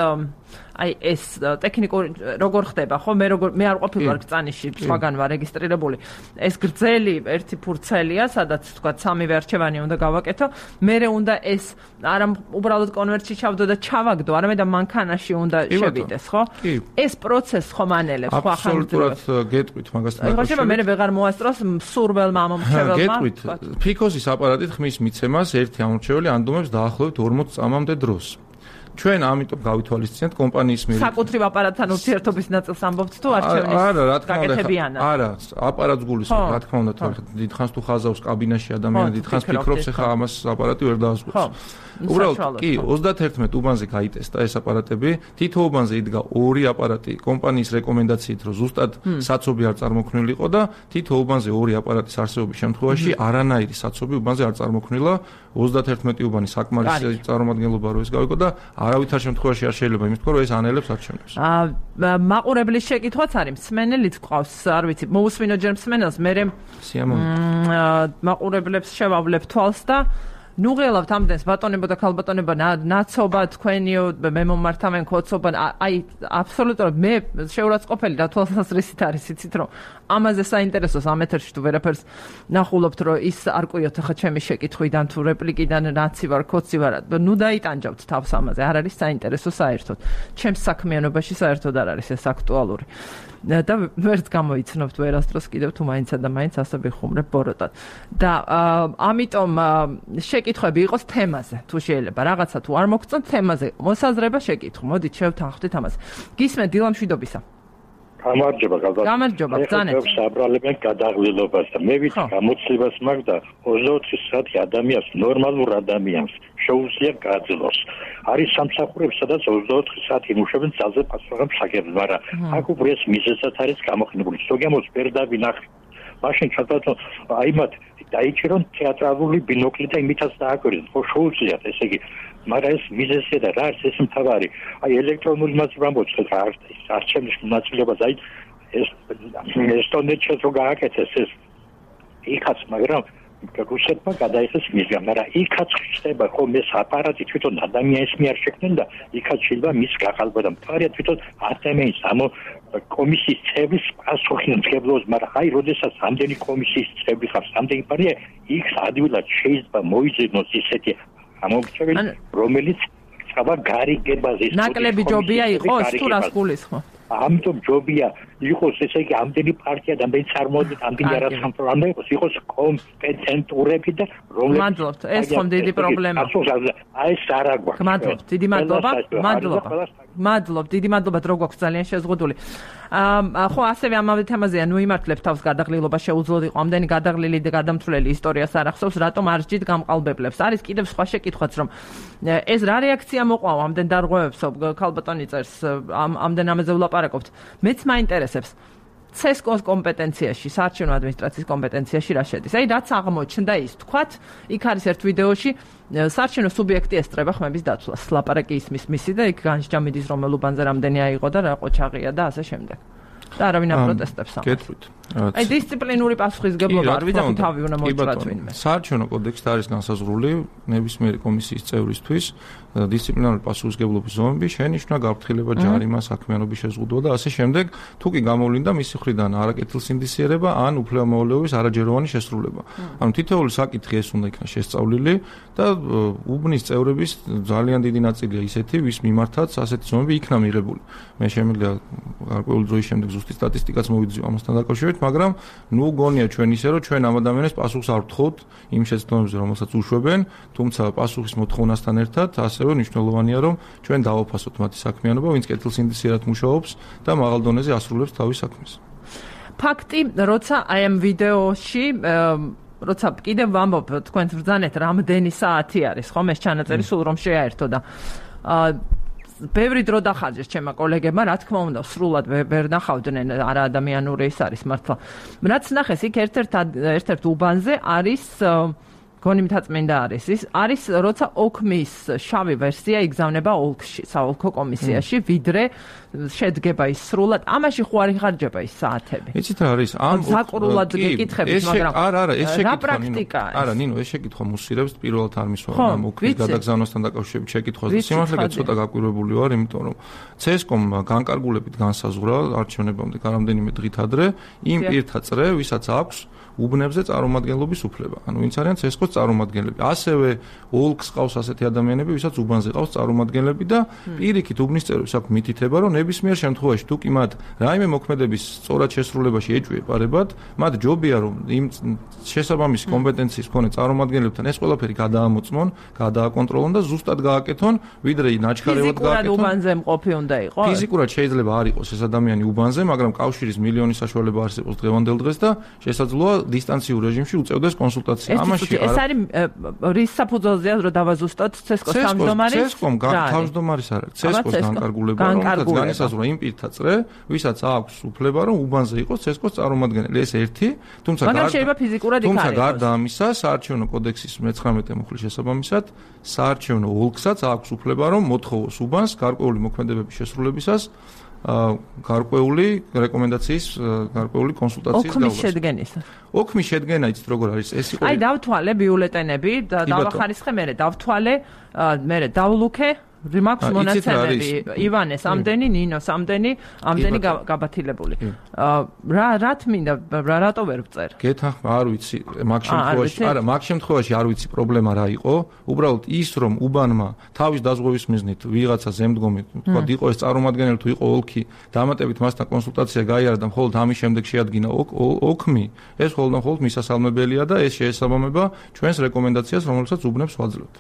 აი ეს ტექნიკური როგორ ხდება, ხო? მე როგორ მე არ ყოფილი ვარ წანიში, სხვაგან ვარ რეგისტრირებული. ეს გრძელი ერთი ფურცელია, სადაც თქვა სამივე არჩევანი უნდა გავაკეთო. მერე უნდა ეს არა უბრალოდ კონვერტში ჩავდო და ჩავაგდო, არამედ მანქანაში უნდა შევიდეს, ხო? ეს პროცესს ხომ ანელებს, ხო ახლა აბსოლუტურად გეტყვით მაგასთან. აი ხოჭება მე ვეღარ მოასწროს სურველმა ამომრჩეველმა. გეტყვით, ფიქოსის აპარატით ხმის მიცემას ერთი ამომრჩეველი ანდომებს დაახლოებით ორმოც წამამდე დროს. ჩვენ ამიტომ გავითვალისწინეთ კომპანიის მიერ საკუთრივ აპარატთან ურთიერთობის ნაწილს ამბობთ თუ არჩევნის არა, რა თქმა უნდა, გაკეთებიანად. არა, აპარატს გულისხმობ, რა თქმა უნდა, თორე დიდხანს თუ ხაზავს კაბინაში ადამიანი, დიდხანს ფიქრობს, ეხლა ამას აპარატი ვერ დაასრულებს. უბრალოდ კი ოცდაათერთმეტ უბანზე გაიტესტა ეს აპარატები, თითო უბანზე იდგა ორი აპარატი კომპანიის რეკომენდაციით, რომ ზუსტად საცობი არ წარმოქმნილიყო და თითო უბანზე ორი აპარატის არსებობის შემთხვევაში არანაირი საცობი უბანზე არ წარმოქმნილა. ოცდაათერთმეტი უბანი საკმარისი წარმომადგენლობა რო ეს გავიგო და არავითარ შემთხვევაში არ შეიძლება იმის თქვა, რომ ეს ანელებს არჩევნებს. აა მაყურებლის შეკითხვაც არის, მსმენელიც ყავს, არ ვიცი, მოусმინო ჯერ მსმენელს, მე მაყურებლებს შევავლებ თვალს და ნუ ღელავთ ამდენს ბატონებო და ქალბატონებო ნაცობა თქვენიო მე მომართავენ ქოცობა აი აბსოლუტურად მე შეურაცხყოფელი და თვალსაზრისით არის იცით რომ ამაზე საინტერესოს ამ ეთერში თუ ვერაფერს ნახულობთ რომ ის არ ყვიოთ ახლა ჩემი შეკითხვიდან თუ რეპლიკიდან რაცი ვარ ქოცი ვარ ნუ დაიტანჯავთ თავს ამაზე არ არის საინტერესო საერთოდ ჩემს საქმიანობაში საერთოდ არ არის ეს აქტუალური და ვერც გამოიცნობთ ვერასდროს კიდევ თუ მაინცა და მაინც ასე ვიხუმრებ ბოროტად და ამიტომ შეკითხვები იყოს თემაზე თუ შეიძლება რაღაცა თუ არ მოგწონთ თემაზე მოსაზრება შეკითხვა მოდით შევთანხმდით ამას გისმენთ დილამშვიდობისა გამარჯობა გაბა გამარჯობა ბრძანეთ საბრალებენ გადაღლილობას და მე ვიცი გამოცდილებას მაქვს და ოცდაოთხი საათი ადამიანს ნორმალურ ადამიანს შეუძლია გაძლოს არის სამსახურები სადაც ოცდაოთხი საათი იმუშავებენ ძალზე პასუხობენ შაგებს მაგრამ აქ უფრო ეს მიზეზად არის გამოყენებული ზოგიერთს ვერ დავინახე მაშინ ჩათვალოთ აი მათ დაიჭირონ თეატრალური ბინოკლი და იმითაც დააკვირდეთ ხო შეუძლიათ ესე იგი მაგრამ ეს მიზეზია და რა არის ეს მთავარი აი ელექტრონული მასალა მოწყეთ რა არის არჩევნის მასალებას აი ეს ესტონეთში რო გააკეთეს ეს იქაც მაგრამ რუსეთმა გადაიხეს მისგან მაგრამ იქაც ხდება ხო ეს აპარატი თვითონ ადამიანის მიერ შექმნილ და იქაც შეიძლება მის გაყალბა და მთავარია თვითონ ადამიანის ამ კომისიის წევრის პასუხისმგებლობას მაგრამ აი როდესაც ამდენი კომისიის წევრი ხარ ამდენი პარია იქ ადვილად შეიძლება მოიძინოს ისეთი ამომრჩეველი რომელიც სხვა გარიგებაზე ნაკლები ჯობია იყოს თუ რას გულისხმობ ამიტომ ჯობია იყოს ესე იგი ამდენი პარტია და ამდენი წარმოადგენთ ამდენი არასამთავრობო უნდა იყოს იყოს კომპეტენტურები და რომლებიც მადლობთ ეს ხომ დიდი პრობლემაა აი ეს არ აგვაქვს მადლობთ დიდი მადლობა მადლობა მადლობთ დიდი მადლობა დრო გვაქვს ძალიან შეზღუდული აა ხო ასევე ამავე თემაზეა ნუ იმართლებ თავს გადაღლილობა შეუძლოდ იყო ამდენი გადაღლილი და გადამთვლელი ისტორიას არ ახსოვს რატომ არ ჯით გამყალბებლებს არის კიდევ სხვა შეკითხვაც რომ ეს რა რეაქცია მოყვა ამდენ დარღვევებსო ქალბატონი წერს ამდენ ამაზე ვლაპარაკობთ მეც მაინტერესებს ცესკოს კომპეტენციაში, საარჩევნო ადმინისტრაციის კომპეტენციაში რა შედის. აი რაც აღმოჩნდა ის თქვათ, იქ არის ერთ ვიდეოში საარჩევნო სუბიექტი ესწრება ხმების დაცვას. ლაპარაკი ისმის მისი და იქ განსჯამიდის რომელ უბანზე რამდენი აიღო და რა ყოჩაღია და ასე შემდეგ. და არავინ აპროტესტებს ამას. გეტყვით. აი დისციპლინური პასუხისგებლობა არ ვიძახი თავი უნდა მოიწრათ ვინმე. საარჩევნო კოდექსში არის განსაზღვრული ნებისმიერი კომისიის წევრისთვის დისციპლინარული პასუხისგებლობის ზომები შენიშნა გაფრთხილება ჯარიმა საქმიანობის შეზღუდვა და ასე შემდეგ თუ კი გამოვლინდა მისი მხრიდან არაკეთილსინდისიერება ან უფლებამოვალეობის არაჯეროვანი შესრულება. ანუ თითოეული საკითხი ეს უნდა იქნას შესწავლილი და უბნის წევრების ძალიან დიდი ნაწილია ისეთი ვის მიმართაც ასეთი ზომები იქნა მიღებული. მე შემიძლია გარკვეული დროის შემდეგ ზუსტი სტატისტიკაც მოვიძიო ამასთან დაკავშირებით, მაგრამ ნუ გონია ჩვენ ისე რომ ჩვენ ამ ადამიანებს პასუხს არ ვთხოვთ იმ შეცდომებზე რომელსაც უშვებენ, თუმცა პასუხის მოთხოვნასთან ერთად ასევე მნიშვნელოვანია რომ ჩვენ დავაფასოთ მათი საქმიანობა, ვინც კეთილსინდისიერად მუშაობს და მაღალ დონეზე ასრულებს თავის საქმეს. ფაქტი, როცა აი ამ ვიდეოში როცა კიდევ ვამბობ თქვენს ბრძანეთ რამდენი საათი არის ხომ ეს ჩანაწერი სულ რომ შეაერთო და აა ბევრი დრო დახარჯეს ჩემმა კოლეგებმა, რა თქმა უნდა, სრულად ვერ ნახავდნენ არა ადამიანური ის არის მართლა. რაც ნახეს იქ ერთ-ერთ ერთ-ერთ უბანზე არის გონი მთაწმინდა არის ის არის როცა ოქმის შავი ვერსია იგზავნება ოლქში, საოლქო კომისიაში, ვიდრე შედგება ის სრულად. ამაში ხო არ იხარჯება ის საათები. იცით რა არის? ამ საკრულად გეკითხებით, მაგრამ არა, არა, ეს შეკითხვა ნინო. არა, ნინო, ეს შეკითხვა მუსირებს პირველად არ მისვა ამ ოქმის გადაგზავნასთან დაკავშირებით შეკითხვას და სიმართლე ცოტა გაკვირვებული ვარ, იმიტომ რომ ცესკომ განკარგულებით განსაზღვრა არჩევნებამდე რამდენიმე დღით ადრე იმ პირთა წრე, ვისაც აქვს უბნებზე წარმომადგენლობის უფლება. ანუ ვინც არიან ცესკოს წარმომადგენლები. ასევე ოლქს ყავს ასეთი ადამიანები, ვისაც უბანზე ყავს წარმომადგენლები და პირიქით უბნის წევრებს აქვს მითითება, რომ ნებისმიერ შემთხვევაში თუ კი მათ რაიმე მოქმედების სწორად შესრულებაში ეჭვი ეპარებათ, მათ ჯობია რომ იმ შესაბამისი კომპეტენციის მქონე წარმომადგენლებთან ეს ყველაფერი გადაამოწმონ, გადააკონტროლონ და ზუსტად გააკეთონ, ვიდრე ნაჩქარევად გააკეთონ. ფიზიკურად უბანზე მყოფი უნდა იყოს? ფიზიკურად შეიძლება არ იყოს ეს ადამიანი უბანზე, მაგრამ კავშირის მილიონი საშუალება არსებობს დღევანდელ დღეს და შესაძლოა დისტანციურ რეჟიმში უწევდეს კონსულტაცია. ამაში ეს არის რის საფუძველზეა რომ დავაზუსტოთ ცესკოს თავმჯდომარის? ცესკომ თავმჯდომარის არ არის. ცესკოს განკარგულება, რომელსაც განისაზღვრა იმ პირთა წრე, ვისაც აქვს უფლება რომ უბანზე იყოს ცესკოს წარმომადგენელი. ეს ერთი, თუმცა მაგრამ შეიძლება ფიზიკურად იქ არ თუმცა გარდა ამისა, საარჩევნო კოდექსის მეცხრამეტე მუხლის შესაბამისად, საარჩევნო ოლქსაც აქვს უფლება რომ მოთხოვოს უბანს გარკვეული მოქმედებების შესრულებისას გარკვეული რეკომენდაციის, გარკვეული კონსულტაციის დაუშვას. ოქმის შედგენისა. ოქმის შედგენა იცით როგორ არის? ეს იყო აი დავთვალე ბიულეტენები და დავახარისხე მე, დავთვალე მე, დავლუქე რიმაქს მონაცემები ივანეს ამდენი, ნინოს ამდენი, ამდენი გაბათილებული. რა რა თმინდა, რატო ვერ ვწერ? გეთანხმა, არ ვიცი, მაგ შემთხვევაში, არა, მაგ შემთხვევაში არ ვიცი პრობლემა რა იყო. უბრალოდ ის რომ უბანმა თავის დაზღვევის მიზნით ვიღაცა ზემდგომი, თქვა იყო ეს წარმომადგენელი თუ იყო ოლქი, დამატებით მასთან კონსულტაცია გაიარა და მხოლოდ ამის შემდეგ შეადგინა ოქმი, ეს მხოლოდ და მხოლოდ მისასალმებელია და ეს შეესაბამება ჩვენს რეკომენდაციას, რომელსაც უბნებს ვაძლევთ.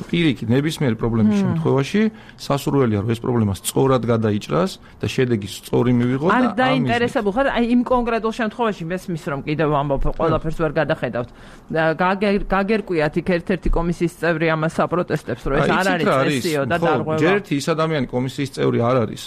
პირიქით ნებისმიერი პრობლემის შემთხვევაში სასურველია რომ ეს პრობლემა სწორად გადაიჭრას და შედეგი სწორი მივიღოს და არ დაინტერესებულ ხარ აი იმ კონკრეტულ შემთხვევაში მესმის რომ კიდევ ამბობ ყველაფერს ვერ გადახედავთ გაგერკვიათ იქ ერთ-ერთი კომისიის წევრი ამას აპროტესტებს რომ ეს არ არის წესიო და დარღვევა ჯერ ერთი ის ადამიანი კომისიის წევრი არ არის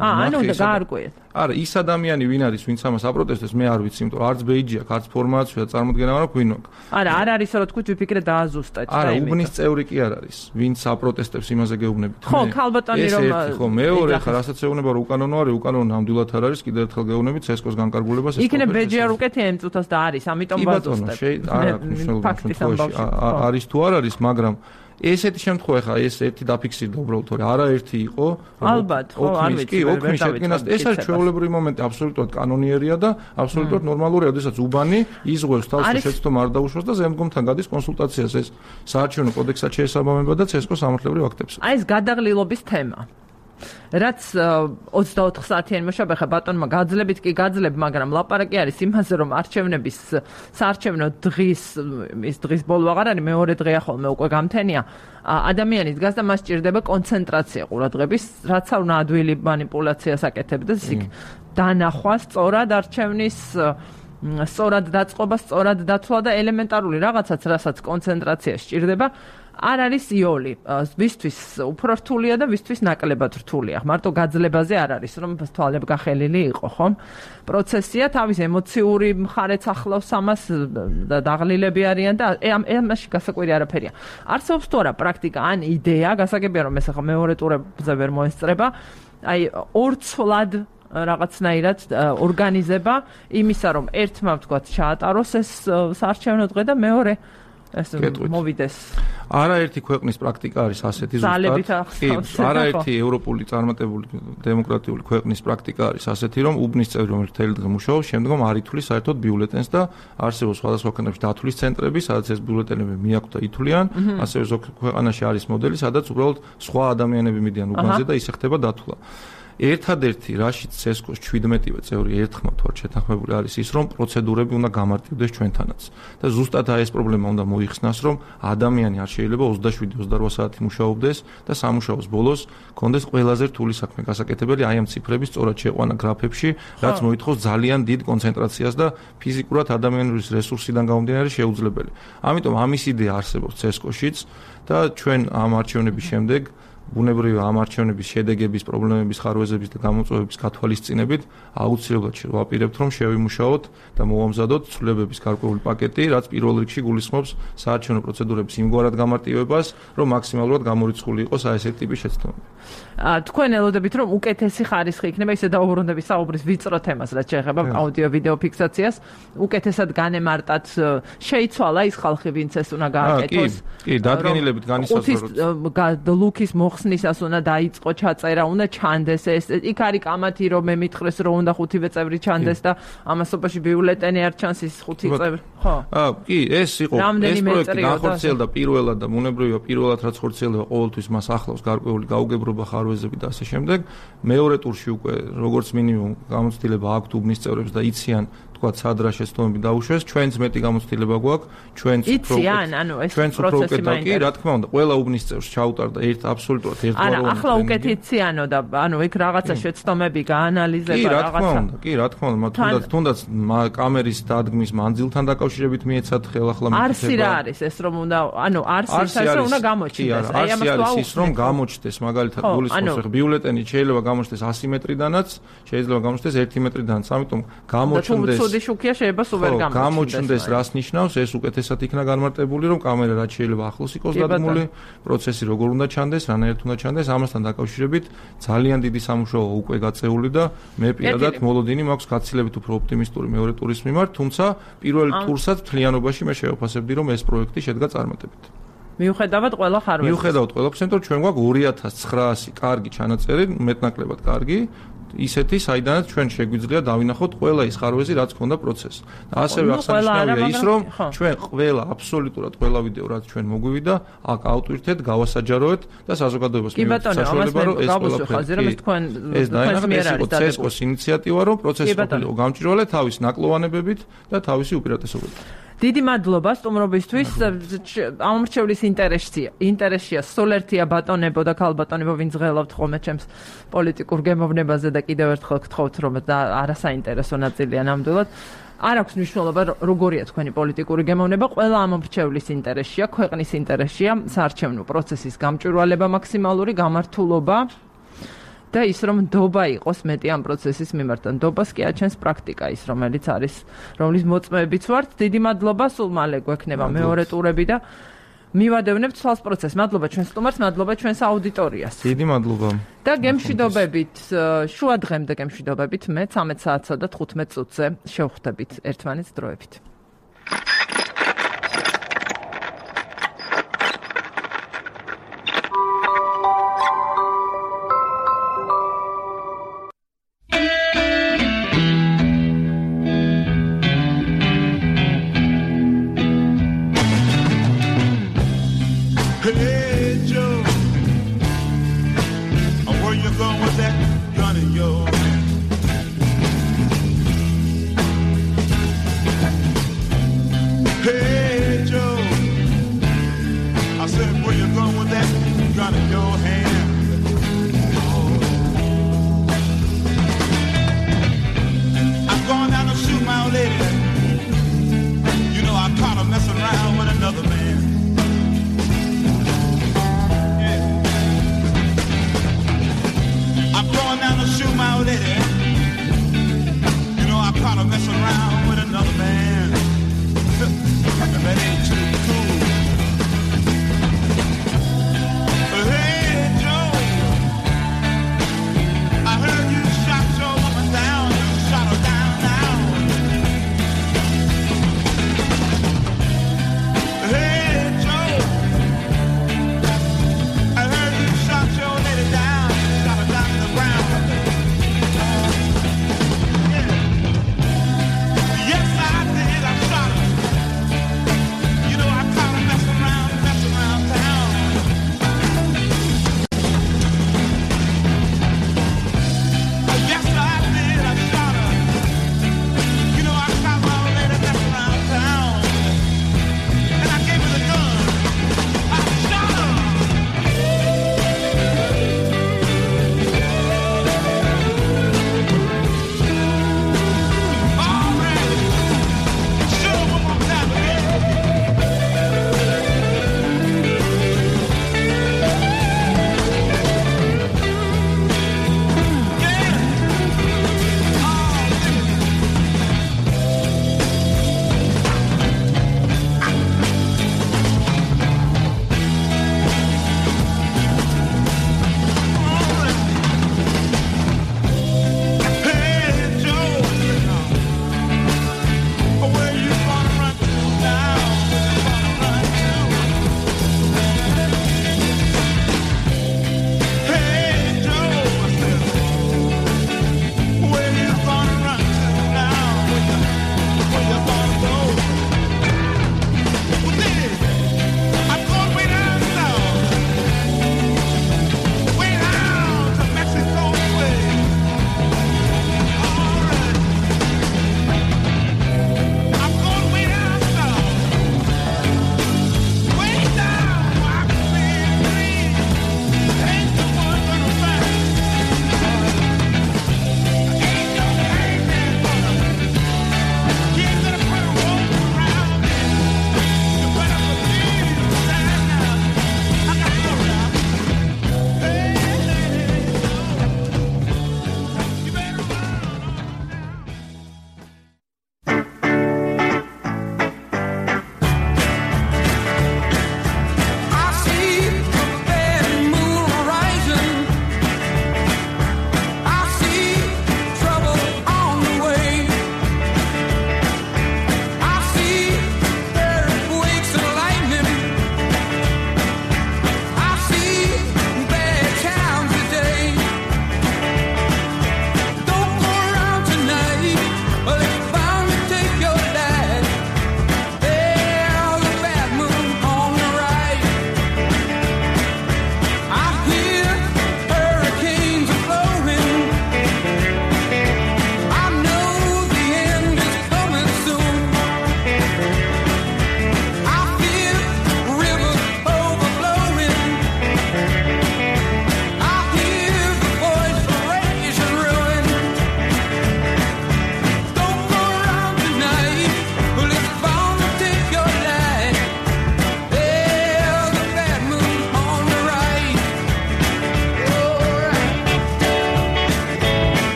აა ანუ და გაარკვიეთ არა ის ადამიანი ვინ არის ვინც ამას აპროტესტებს მე არ ვიცი იმიტომ არც ბეიჯი აქვს არც ფორმაცია წარმოდგენა არ აქვს ვინ აქვს არა არ არის რომ თქვით ვიფიქრე დააზუსტეთ არა უბნის წევრი კი არ არის ვინც აპროტესტებს იმაზე გეუბნებით ხო ქალბატონი რომ ეს ხო მეორე ხა რასაც ეუბნება რომ უკანონო არის უკანონო ნამდვილად არ არის კიდევ ერთხელ გეუბნებით ცესკოს განკარგულებას ეს იქნებ ბეჯი არ უკეთია იმ წუთას და არის ამიტომ ვაზუსტებ არა მნიშვნელოვანი არის თუ არ არის მაგრამ ესეთი შემთხვევა ხა ეს ერთი დაფიქსირდა უბრალოდ თორე არაერთი იყო ალბათ ხო არ ვიცი ოქმის შედგენას ეს არის ჩვეულებრივი მომენტი აბსოლუტურად კანონიერია და აბსოლუტურად ნორმალურია როდესაც უბანი იზღვევს თავს შეცდომ არ დაუშვას და ზემდგომთან გადის კონსულტაციას ეს საარჩევნო კოდექსად შეესაბამება და ცესკოს სამართლებრივ აქტებს აი ეს გადაღლილობის თემა რაც ოცდაოთხ საათიანი მოშაბე ხა ბატონმა გაძლებით კი გაძლებ მაგრამ ლაპარაკი არის იმაზე რომ არჩევნების საარჩევნო დღის ის დღის ბოლო აღარ არის მეორე დღე ახალმე უკვე გამთენია ადამიანი დგას და მას სჭირდება კონცენტრაცია ყურადღების რაც არ უნდა ადვილი манипуляციას აკეთებდეს იქ დანახვა სწორად არჩევნის სწორად დაწყობა სწორად დათვლა და ელემენტარული რაღაცაც რასაც კონცენტრაცია სჭირდება არ არის იოლი ვისთვის უფრო რთულია და ვისთვის ნაკლებად რთულია მარტო გაძლებაზე არ არის რომ თვალებ გახელილი იყო ხომ პროცესია თავის ემოციური მხარეც ახლავს ამას და დაღლილები არიან და ამაში გასაკვირი არაფერია არსებობს თუ არა პრაქტიკა ან იდეა გასაგებია რომ ეს ახლა მეორე ტურებზე ვერ მოესწრება აი ორცვლად რაღაცნაირად ორგანიზება იმისა რომ ერთმა ვთქვათ ჩაატაროს ეს საარჩევნო დღე და მეორე ეს მოვიდეს არაერთი ქვეყნის პრაქტიკა არის ასეთი ზუსტად არაერთი ევროპული წარმატებული დემოკრატიული ქვეყნის პრაქტიკა არის ასეთი რომ უბნის წევრი რომელიც თელი დღე მუშაობს შემდგომ არ ითვლის საერთოდ ბიულეტენს და არსებობს სხვადასხვა ქვეყნებში დათვლის ცენტრები სადაც ეს ბიულეტენები მიაქვთ და ითვლიან ასევე ზოგ ქვეყანაში არის მოდელი სადაც უბრალოდ სხვა ადამიანები მიდიან უბანზე და ისე ხდება დათვლა ერთადერთი რაშიც ცესკოს შვიდმეტივე წევრი ერთხმად ვარ შეთანხმებული არის ის რომ პროცედურები უნდა გამარტივდეს ჩვენთანაც და ზუსტად აი ეს პრობლემა უნდა მოიხსნას რომ ადამიანი არ შეიძლება ოცდაშვიდი ოცდარვა საათი მუშაობდეს და სამუშაოს ბოლოს კონდეს ყველაზე რთული საქმე გასაკეთებელი აი ამ ციფრების სწორად შეყვანა გრაფებში რაც მოითხოვს ძალიან დიდ კონცენტრაციას და ფიზიკურად ადამიანის რესურსიდან გამომდინარე შეუძლებელი ამიტომ ამის იდეა არსებობს ცესკოშიც და ჩვენ ამ არჩევნების შემდეგ ბუნებრივია ამ არჩევნების შედეგების, პრობლემების, ხარვეზების და გამოწვევების გათვალისწინებით აუცილებლად შევაპირებთ, რომ შევიმუშაოთ და მოვამზადოთ ცვლილებების გარკვეული პაკეტი, რაც პირველ რიგში გულისხმობს საარჩევნო პროცედურების იმგვარად გამარტივებას, რომ მაქსიმალურად გამორიცხული იყოს აი ესეთი ტიპის შეცდომები. თქვენ ელოდებით, რომ უკეთესი ხარისხი იქნება ისე დაუბრუნდების საუბრის ვიწრო თემას, რაც შეეხება აუდიო ვიდეო ფიქსაციას, უკეთესად განემარტათ, შეიცვალა ის ხალხი, ვინც ეს უნდა გააკეთოს. კი, კი, დადგენილებით განისაზღვროთ. ლუქის მოხსნისას უნდა დაიწყო ჩაწერა, უნდა ჩანდეს ეს. იქ არის კამათი, რომ მე მითხრეს, რომ უნდა ხუთივე წევრი ჩანდეს და ამასობაში ბიულეტენი არ ჩანს ის ხუთი წევრი. ხო. აა, კი, ეს იყო ეს პროექტი განხორციელდა პირველად და მონებრივია პირველად რაც ხორციელდება ყოველთვის მას ახლავს გარკვეული გაუგებრობა, ხარვეზები და ასე შემდეგ. მეორე ტურში უკვე როგორც მინიმუმ გამოცდილება აქვთ უბნის წევრებს და იციან თქვათ სად რა შეცდომები დაუშვეს, ჩვენც მეტი გამოცდილება გვაქვს, ჩვენც უფრო იციან, ანუ ეს პროცესი მაინტერესებს. კი, რა თქმა უნდა, ყველა უბნის წევრს ჩაუტარდა ერთ აბსოლუტურად ერთგვაროვანი. არა, ახლა უკეთ იციანო და ანუ იქ რაღაცა შეცდომები გაანალიზება, რაღაცა. კი, რა თქმა უნდა, კი, რა თქმა უნდა, თუნდაც თუნდაც კამერის დადგმის მანძილთან დაკავშირებით მიეცათ ხელახლა მითითება. არსი რა არის ეს რომ უნდა, ანუ არსი ის რომ უნდა გამოჩნდეს. აი ამას არის ის რომ გამოჩნდეს, მაგალითად გულისხმობს, ბიულეტენი შეიძლება გამოჩნდეს ასი მეტრიდანაც, შეიძლება გამოჩნდეს ერთი მეტრიდანაც, ამიტომ გამოჩნდეს ცუდი შუქია შეიძლება სულ ვერ გამოჩნდეს. გამოჩნდეს რას ნიშნავს, ეს უკეთესად იქნა განმარტებული, რომ კამერა რაც შეიძლება ახლოს იყოს დადგმული, პროცესი როგორ უნდა ჩანდეს, რანაირად უნდა ჩანდეს, ამასთან დაკავშირებით ძალიან დიდი სამუშაო უკვე გაწეული და მე პირადად მოლოდინი მაქვს გაცილებით უფრო ოპტიმისტური მეორე ტურის მიმართ, თუმცა პირველ ტურსაც მთლიანობაში მე შევაფასებდი, რომ ეს პროექტი შედგა წარმატებით. მიუხედავად ყველა ხარვეზის. მიუხედავად ყველაფრისა, რომ ჩვენ გვაქვს ორი ათას ცხრაასი კარგი ჩანაწერი, მეტნაკლებად კარგი. ისეთი, საიდანაც ჩვენ შეგვიძლია დავინახოთ ყველა ის ხარვეზი, რაც ქონდა პროცესს. და ასევე აღსანიშნავია ის, რომ ჩვენ ყველა აბსოლუტურად ყველა ვიდეო, რაც ჩვენ მოგვივიდა, აქ ავტვირთეთ, გავასაჯაროეთ და საზოგადოებას მივუწევთ საშუალება, რომ ეს ყველაფერი ეს დაინახოთ ცესკოს ინიციატივა, რომ პროცესი ყოფილიყო გამჭვირვალე თავის ნაკლოვანებებით და თავისი უპირატესობით. დიდი მადლობა სტუმრობისთვის. ამომრჩევლის ინტერესია. ინტერესია სოლერთია ბატონებო და ქალბატონებო, ვინც ღელავთ ხოლმე ჩემს პოლიტიკურ გემოვნებაზე და კიდევ ერთხელ გთხოვთ, რომ არასაინტერესო ნაწილია ნამდვილად. არ აქვს მნიშვნელობა როგორია თქვენი პოლიტიკური გემოვნება, ყველა ამომრჩევლის ინტერესია, ქვეყნის ინტერესია, საარჩევნო პროცესის გამჭვირვალება მაქსიმალური, გამართულობა. და ის რომ ნდობა იყოს მეტი ამ პროცესის მიმართ. ნდობას კი აჩენს პრაქტიკა ის, რომელიც არის, რომლის მოწმეებიც ვართ. დიდი მადლობა, სულ მალე გვექნება მეორე ტურები და მივადევნებთ ცვალს პროცესს. მადლობა ჩვენს სტუმარს, მადლობა ჩვენს აუდიტორიას. დიდი მადლობა. და გემშვიდობებით, შუა დღემდე გემშვიდობებით, მე ცამეტ საათსა და თხუთმეტ წუთზე შევხვდებით ერთმანეთს დროებით.